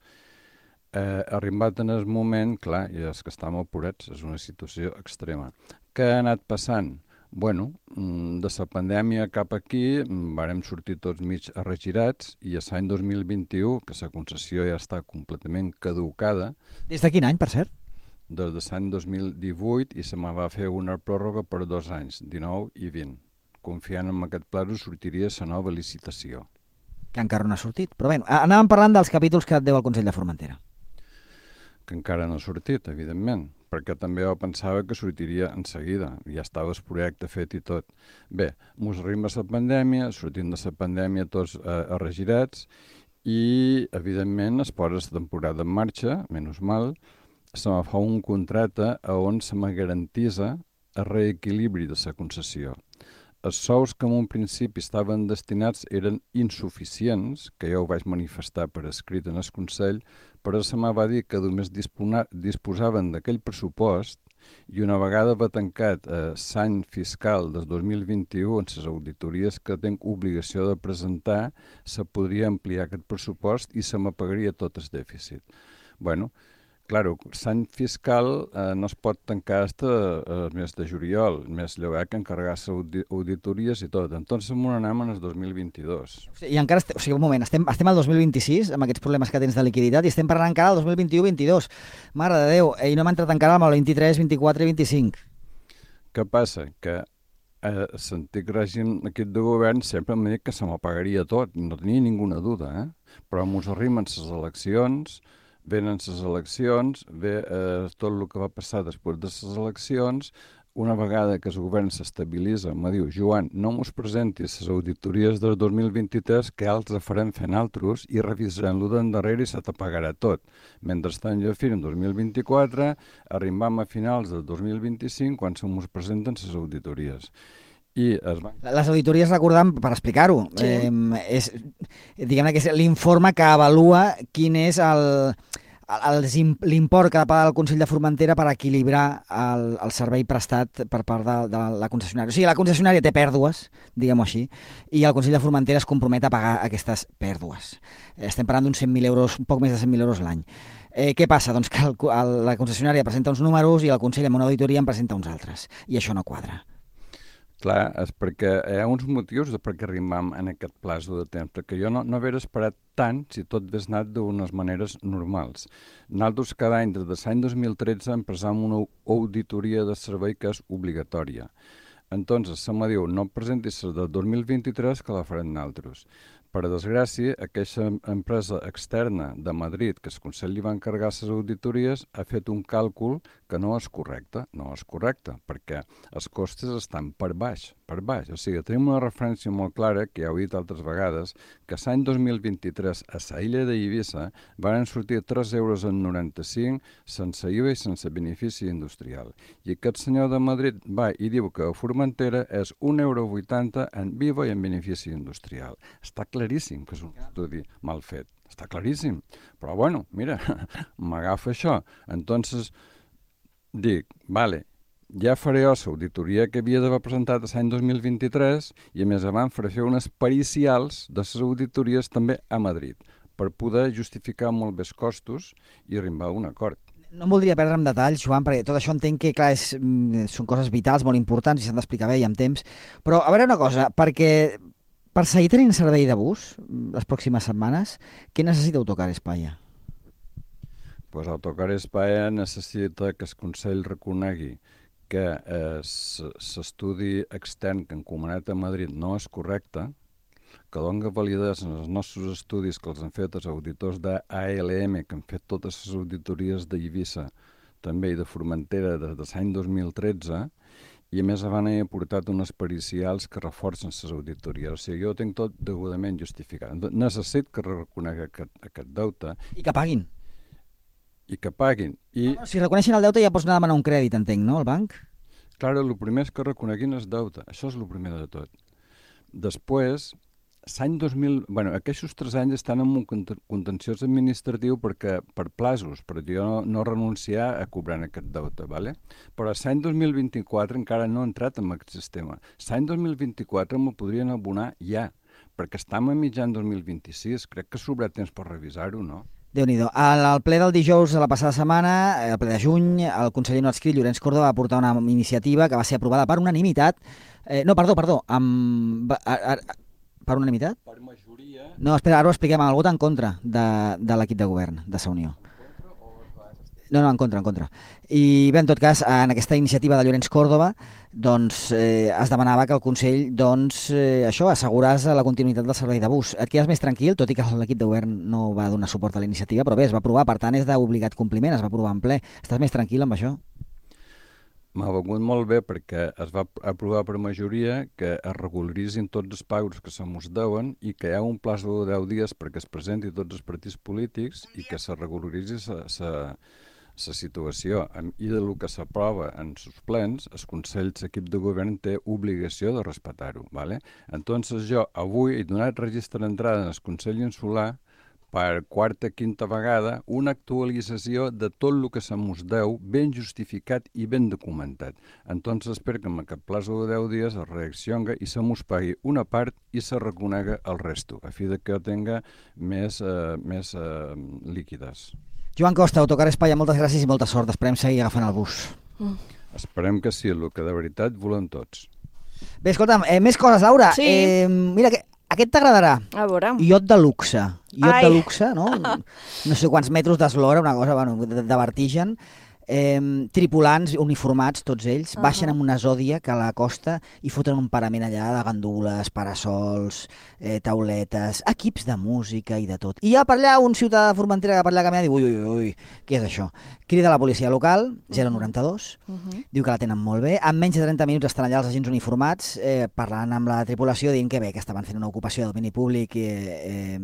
Arribat en el moment, clar, i és que estem apurats, és una situació extrema. Què ha anat passant? Bueno, de la pandèmia cap aquí vàrem sortir tots mig arregirats i a l'any 2021, que la concessió ja està completament caducada... Des de quin any, per cert? Des de l'any 2018 i se me va fer una pròrroga per 2 anys, 19 i 20. Confiant en aquest pla sortiria la nova licitació. Que encara no ha sortit. Però bé, anàvem parlant dels capítols que et deu el Consell de Formentera. Que encara no ha sortit, evidentment, perquè també jo pensava que sortiria en seguida, ja estava el projecte fet i tot. Bé, mos arriba la pandèmia, sortim de la pandèmia tots arregirats i, evidentment, es posa la temporada en marxa, menys mal, se me fa un contracte on se me garantisa el reequilibri de la concessió. Els sous que en un principi estaven destinats eren insuficients, que jo ho vaig manifestar per escrit en el Consell, però se me va dir que només disposaven d'aquell pressupost i una vegada va tancat l'any fiscal del 2021, en les auditories que tinc obligació de presentar, se podria ampliar aquest pressupost i se me pagaria tot el dèficit. Bueno, claro, l'any fiscal no es pot tancar fins al mes de juliol, més llogar que encarregar-se auditories i tot. Entonces anem en el 2022. I encara, un moment, estem al 2026 amb aquests problemes que tens de liquiditat i estem parlant encara del 2021-22. Mare de Déu, i no hem entrat encara amb el 23, 24 i 25. Què passa? Que l'antic règim aquest de govern sempre m'ha dit que se m'apagaria tot, no tenia ninguna duda, però mos arriben les eleccions, venen les eleccions, ve tot el que va passar després de les eleccions, una vegada que el govern s'estabilitza, me diu, Joan, no mos presentis les auditories del 2023, que ja els farem fent altres i revisarem-lo d'endarrere i se t'apagarà tot. Mentrestant, jo fins en 2024, arribam a finals del 2025 quan se mos presenten les auditories. Les auditories, recordam, per explicar-ho, diguem-ne que és l'informe que avalua quin és l'import que ha de pagar el Consell de Formentera per equilibrar el servei prestat per part de la concessionària. O sigui, la concessionària té pèrdues, diguem-ho així, i el Consell de Formentera es compromet a pagar aquestes pèrdues. Estem parlant d'uns 100.000 euros, un poc més de 100.000 euros l'any. Què passa? Doncs que la concessionària presenta uns números i el Consell amb una auditoria en presenta uns altres, i això no quadra. Clar, és perquè hi ha uns motius de per què arribam en aquest plaç de temps, perquè jo no haver esperat tant si tot hagués anat d'unes maneres normals. Nosaltres cada any, des de l'any 2013, empresam una auditoria de servei que és obligatòria. Entonces, se me diu, no presentis del 2023 que la farem nosaltres. Per desgràcia, aquesta empresa externa de Madrid, que el Consell li va encarregar les auditories, ha fet un càlcul que no és correcte, perquè els costes estan per baix. O sigui, tenim una referència molt clara, que ja ho he dit altres vegades, que l'any 2023 a la illa d'Eivissa van sortir 3,95 € sense IVA i sense benefici industrial. I aquest senyor de Madrid va i diu que a Formentera és 1,80 € en IVA i en benefici industrial. Està claríssim que és un estudi mal fet. Està claríssim. Però, bueno, mira, m'agafa això. Entonces, dic, vale, ja faré l'auditoria que havia d'haver presentat l'any 2023 i, a més a més, faré unes pericials de les auditories també a Madrid per poder justificar molt més costos i arribar a un acord. No em voldria perdre en detalls, Joan, perquè tot això entenc que, clar, són coses vitals, molt importants i s'han d'explicar bé i amb temps. Però, a veure una cosa, perquè per seguir tenint servei de bus les pròximes setmanes, què necessita Autocar España? Pues Autocar España necessita que el Consell reconegui que l'estudi extern que han encomanat a Madrid no és correcte, que doni validesa en els nostres estudis que els han fet els auditors d'ALM, que han fet totes les auditories d'Eivissa, també i de Formentera des de l'any 2013, i a més han aportat unes pericials que reforcen les auditories. O sigui, jo tinc tot degudament justificat. Necessito que reconegui aquest deute. I que paguin. I que paguin. No, si reconeixen el deute ja pots anar a demanar un crèdit, entenc, no, al banc? Clar, el primer és que reconeguin el deute. Això és el primer de tot. Després, l'any 2000... Bueno, aquests 3 anys estan en un contenciós administratiu perquè per plazos, per jo no renunciar a cobrar aquest deute, ¿vale? Però l'any 2024 encara no ha entrat en aquest sistema. L'any 2024 me'l podrien abonar ja, perquè estem a mitjan 2026. Crec que sobrà temps per revisar-ho, no? Déu-n'hi-do. Al ple del dijous de la passada setmana, el ple de juny, el conseller no adscrit, Llorenç Córdoba, va portar una iniciativa que va ser aprovada per unanimitat. Perdó, per unanimitat? Per majoria... No, espera, ara ho expliquem, amb el vot en contra de l'equip de govern de la Unió. No, en contra. I bé, en tot cas, en aquesta iniciativa de Llorenç Córdoba, doncs es demanava que el Consell, assegurés la continuïtat del servei de bus. Et quedes més tranquil, tot i que l'equip de govern no va donar suport a la iniciativa, però bé, es va aprovar, per tant és d'obligat compliment, es va aprovar en ple. Estàs més tranquil amb això? M'ha vengut molt bé perquè es va aprovar per majoria que es regularitzin tots els pagos que se mos deuen i que hi ha un plaç de 10 dies perquè es presenti tots els partits polítics i que se regularitzi la situació. I del que s'aprova en els plens, el Consell, l'equip de govern té obligació de respectar-ho. ¿Vale? Entonces jo avui he donat registre d'entrada en el Consell Insular per quarta, quinta vegada, una actualització de tot el que se mos deu, ben justificat i ben documentat. Entonces espero que en aquest plazo de 10 dies es reaccioni i se mos pagui una part i se reconega el resto, a fi de que tinga més líquides. Joan Costa, Autocar Espanya, moltes gràcies i molta sort. Esperem seguir agafant el bus. Esperem que sí, el que de veritat volem tots. Bé, escolta'm, més coses, Laura. Sí. Mira, aquest t'agradarà. A veure. Iot de luxe. Iot Ai. de luxe, no? No sé quants metres d'eslora, una cosa de vertigen. Tripulants uniformats, tots ells, baixen amb una Zodiac a la costa i foten un parament allà de gandules, parasols, tauletes, equips de música i de tot. I hi ha per allà un ciutadà de Formentera que per allà camina i diu, ui, què és això? Crida a la policia local, 092, diu que la tenen molt bé. En menys de 30 minuts estan allà els agents uniformats parlant amb la tripulació, dient que bé, que estaven fent una ocupació de domini públic que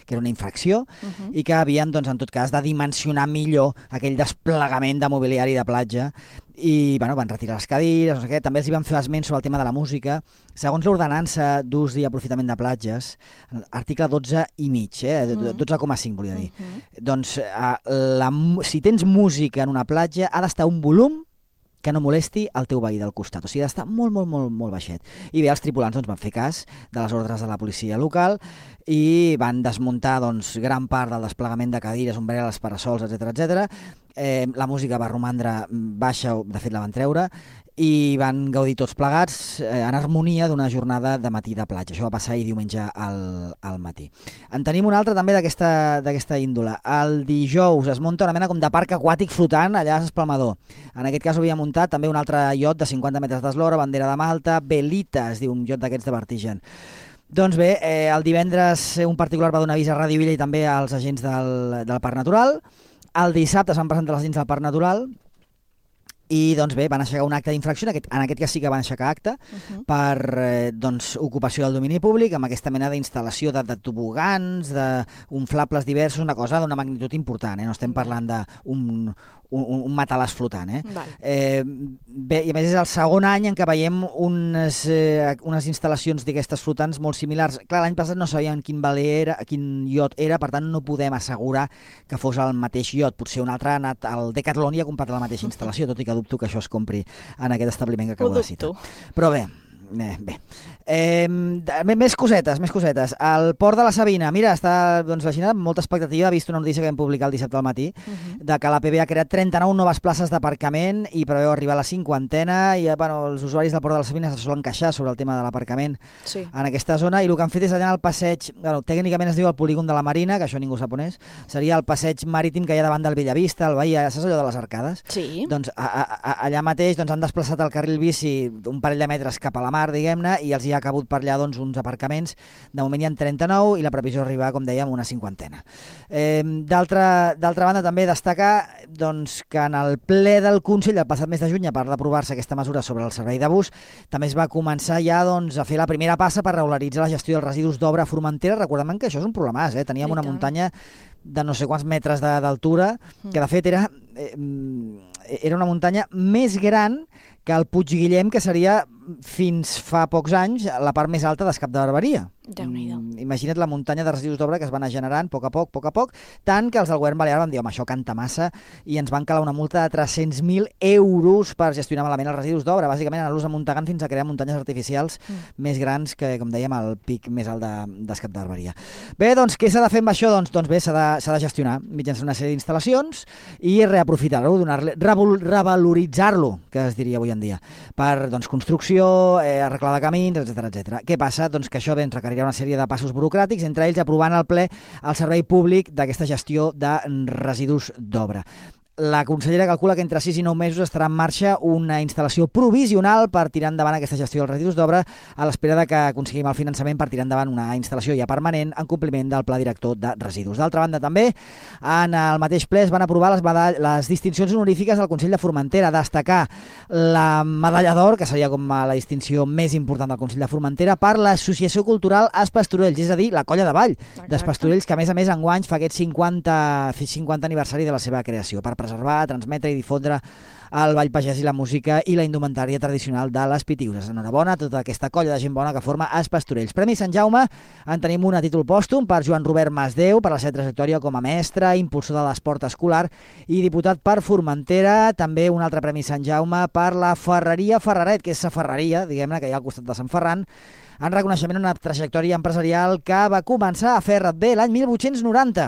era una infracció i que havien, doncs, en tot cas, de dimensionar millor aquell desplegament de mobiliari de platja i bueno, van retirar les cadires, no sé què. També els hi van fer esment sobre el tema de la música. Segons l'ordenança d'ús i aprofitament de platges, article 12,5, 12,5 volia dir. Doncs si tens música en una platja ha d'estar un volum que no molesti el teu veí del costat. O sigui, ha d'estar molt, molt, molt, molt baixet. I bé, els tripulants doncs, van fer cas de les ordres de la policia local i van desmuntar doncs, gran part del desplegament de cadires, ombrelles, parasols, etc. La música va romandre baixa, de fet la van treure, i van gaudir tots plegats en harmonia d'una jornada de matí de platja. Això va passar ahir diumenge al matí. En tenim un altre també d'aquesta índole. El dijous es munta una mena com de parc aquàtic flotant allà a Espalmador. En aquest cas ho havia muntat també un altre iot de 50 metres d'eslora, bandera de Malta, Velita, es diu, un iot d'aquests de vertigen. Doncs bé, el divendres un particular va donar avís a Ràdio Vila i també als agents del Parc Natural. El dissabte es van presentar els agents del Parc Natural i doncs bé, van aixecar un acte d'infracció, en aquest cas sí que van aixecar acte per ocupació del domini públic amb aquesta mena d'instal·lació de tobogans, d'inflables diversos, una cosa d'una magnitud important, no estem parlant d'un matalàs flotant. Bé, i a més és el segon any en què veiem unes instal·lacions d'aquestes flotants molt similars. Clar, l'any passat no sabíem quin iot era, per tant no podem assegurar que fos el mateix iot. Potser un altre ha anat al Decathlon i ha comprat la mateixa instal·lació, tot i que dubto que això es compri en aquest establiment que acabo de citar. Però bé, més cosetes. El port de la Sabina, mira, està la Xina amb molta expectativa. Ha vist una notícia que vam publicar el dissabte al matí de que l'APB ha creat 39 noves places d'aparcament i preveu arribar a la 50a i els usuaris del port de la Sabina se solen queixar sobre el tema de l'aparcament en aquesta zona i el que han fet és allà en el passeig, tècnicament es diu el polígon de la Marina, que això ningú sap on és, seria el passeig marítim que hi ha davant del Bellavista, el Bahia, saps allò de les arcades? Sí. Doncs allà mateix han desplaçat el carril bici un parell de metres cap a la mar, diguem-ne, i els hi ha cabut per allà uns aparcaments. De moment hi ha 39 i la previsió és arribar, com dèiem, a una 50a. D'altra banda, també destacar que en el ple del Consell, el passat mes de juny, a part d'aprovar-se aquesta mesura sobre el servei de bus, també es va començar ja a fer la primera passa per regularitzar la gestió dels residus d'obra a Formentera. Recordem que això és un problemàs, teníem una muntanya de no sé quants metres d'altura, que de fet era una muntanya més gran que el Puig Guillem, que seria fins fa pocs anys la part més alta d'Escap de Barberia. Imagina't la muntanya de residus d'obra que es van anar generant a poc a poc, tant que els del govern balear van dir, home, això canta massa, i ens van calar una multa de 300.000 euros per gestionar malament els residus d'obra, bàsicament anar-los amuntegant fins a crear muntanyes artificials més grans que, com dèiem, el pic més alt d'Escap de Barberia. Bé, doncs, què s'ha de fer amb això? Doncs bé, s'ha de gestionar mitjançant una sèrie d'instal·lacions i reaprofitar-lo, revaloritzar-lo, que es diria avui en dia, per construcció, arreglar de camins, etc. Què passa? Doncs que això ens requerirà una sèrie de passos burocràtics, entre ells aprovant al ple el servei públic d'aquesta gestió de residus d'obra. La consellera calcula que entre 6 i 9 mesos estarà en marxa una instal·lació provisional per tirar endavant aquesta gestió dels residus d'obra a l'espera que aconseguim el finançament per tirar endavant una instal·lació ja permanent en compliment del Pla Director de Residus. D'altra banda, també, en el mateix ple es van aprovar les distincions honorífiques del Consell de Formentera, destacar la medalla d'or, que seria com la distinció més important del Consell de Formentera, per l'Associació Cultural Es Pastorells, és a dir, la colla de ball d'Es Pastorells, que a més enguany fa aquest 50 aniversari de la seva creació, per preservar, transmetre i difondre el ball pagès i la música i la indumentària tradicional de les Pitiuses. Enhorabona a tota aquesta colla de gent bona que forma Els Pastorells. Premi Sant Jaume en tenim un a títol pòstum per Joan Robert Masdeu, per la seva trajectòria com a mestre, impulsor de l'esport escolar i diputat per Formentera. També un altre Premi Sant Jaume per la Ferreria Ferraret, que és la ferreria, diguem-ne, que hi ha al costat de Sant Ferran, en reconeixement a una trajectòria empresarial que va començar a fer bé l'any 1890.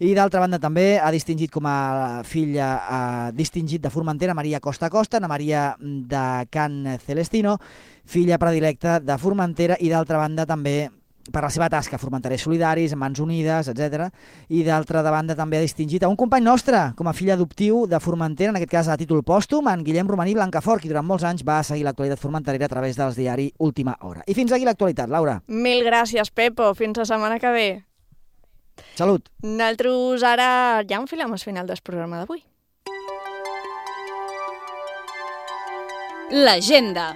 I d'altra banda també ha distingit com a filla distingit de Formentera Maria Costa Costa, Ana Maria de Can Celestino, filla predilecta de Formentera, i d'altra banda també per la seva tasca a Formenterers Solidaris, Mans Unides, etc. I d'altra banda també ha distingit a un company nostre com a fill adoptiu de Formentera, en aquest cas a títol pòstum, en Guillem Romaní Blancafort, qui durant molts anys va seguir l'actualitat formenterera a través dels diaris Última Hora. I fins aquí l'actualitat, Laura. Mil gràcies, Pepo. Fins la setmana que ve. Salut. Nosaltres ara ja enfilem el final del programa d'avui. L'agenda.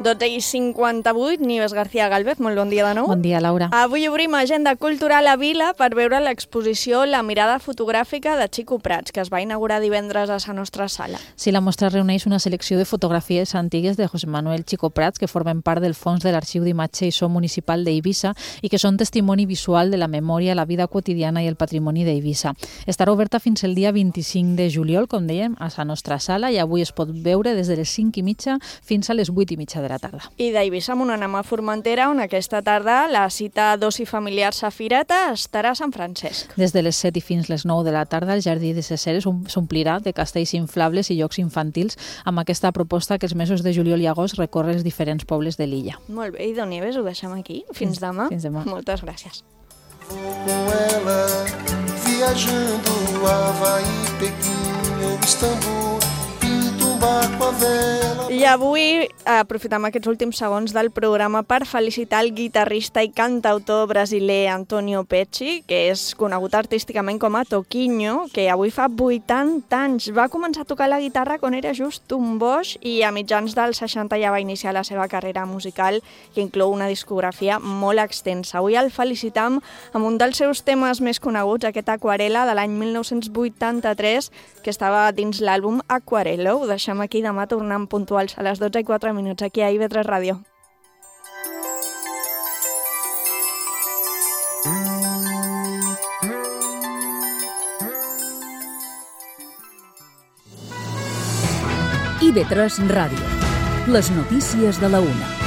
12:58, Nieves García Gálvez, molt bon dia de nou. Bon dia, Laura. Avui obrim agenda cultural a Vila per veure l'exposició La mirada fotogràfica de Chico Prats, que es va inaugurar divendres a la nostra sala. Sí, la mostra reuneix una selecció de fotografies antigues de José Manuel Chico Prats que formen part del fons de l'Arxiu d'Imatge i So Municipal d'Eivissa i que són testimoni visual de la memòria, la vida quotidiana i el patrimoni d'Eivissa. Estarà oberta fins el dia 25 de juliol, com dèiem, a la nostra sala, i avui es pot veure des de les 5:30 fins a les 8:30 de la tarda. I d'Eivissa anem a Formentera, on aquesta tarda la cita d'oci familiar Safireta estarà a Sant Francesc. Des de les 7 i fins les 9 de la tarda el Jardí de ses Ceres s'omplirà de castells inflables i jocs infantils amb aquesta proposta que els mesos de juliol i agost recorre els diferents pobles de l'illa. Molt bé, i Don Nieves, ho deixem aquí. Fins demà. Fins demà. Moltes gràcies. Com ela, viajando Havaí, Pequim ou Istambul, pinto barco a vela. I avui aprofitem aquests últims segons del programa per felicitar el guitarrista i cantautor brasiler Antonio Pecci, que és conegut artísticament com a Toquinho, que avui fa 80 anys. Va començar a tocar la guitarra quan era just un boix i a mitjans dels 60 ja va iniciar la seva carrera musical, que inclou una discografia molt extensa. Avui el felicitam amb un dels seus temes més coneguts, aquest Aquarela de l'any 1983, que estava dins l'àlbum Aquarello. Ho deixem aquí, demà tornem puntuals a les 12:04 aquí a IB3 Ràdio. IB3 Ràdio. Les notícies de la 1.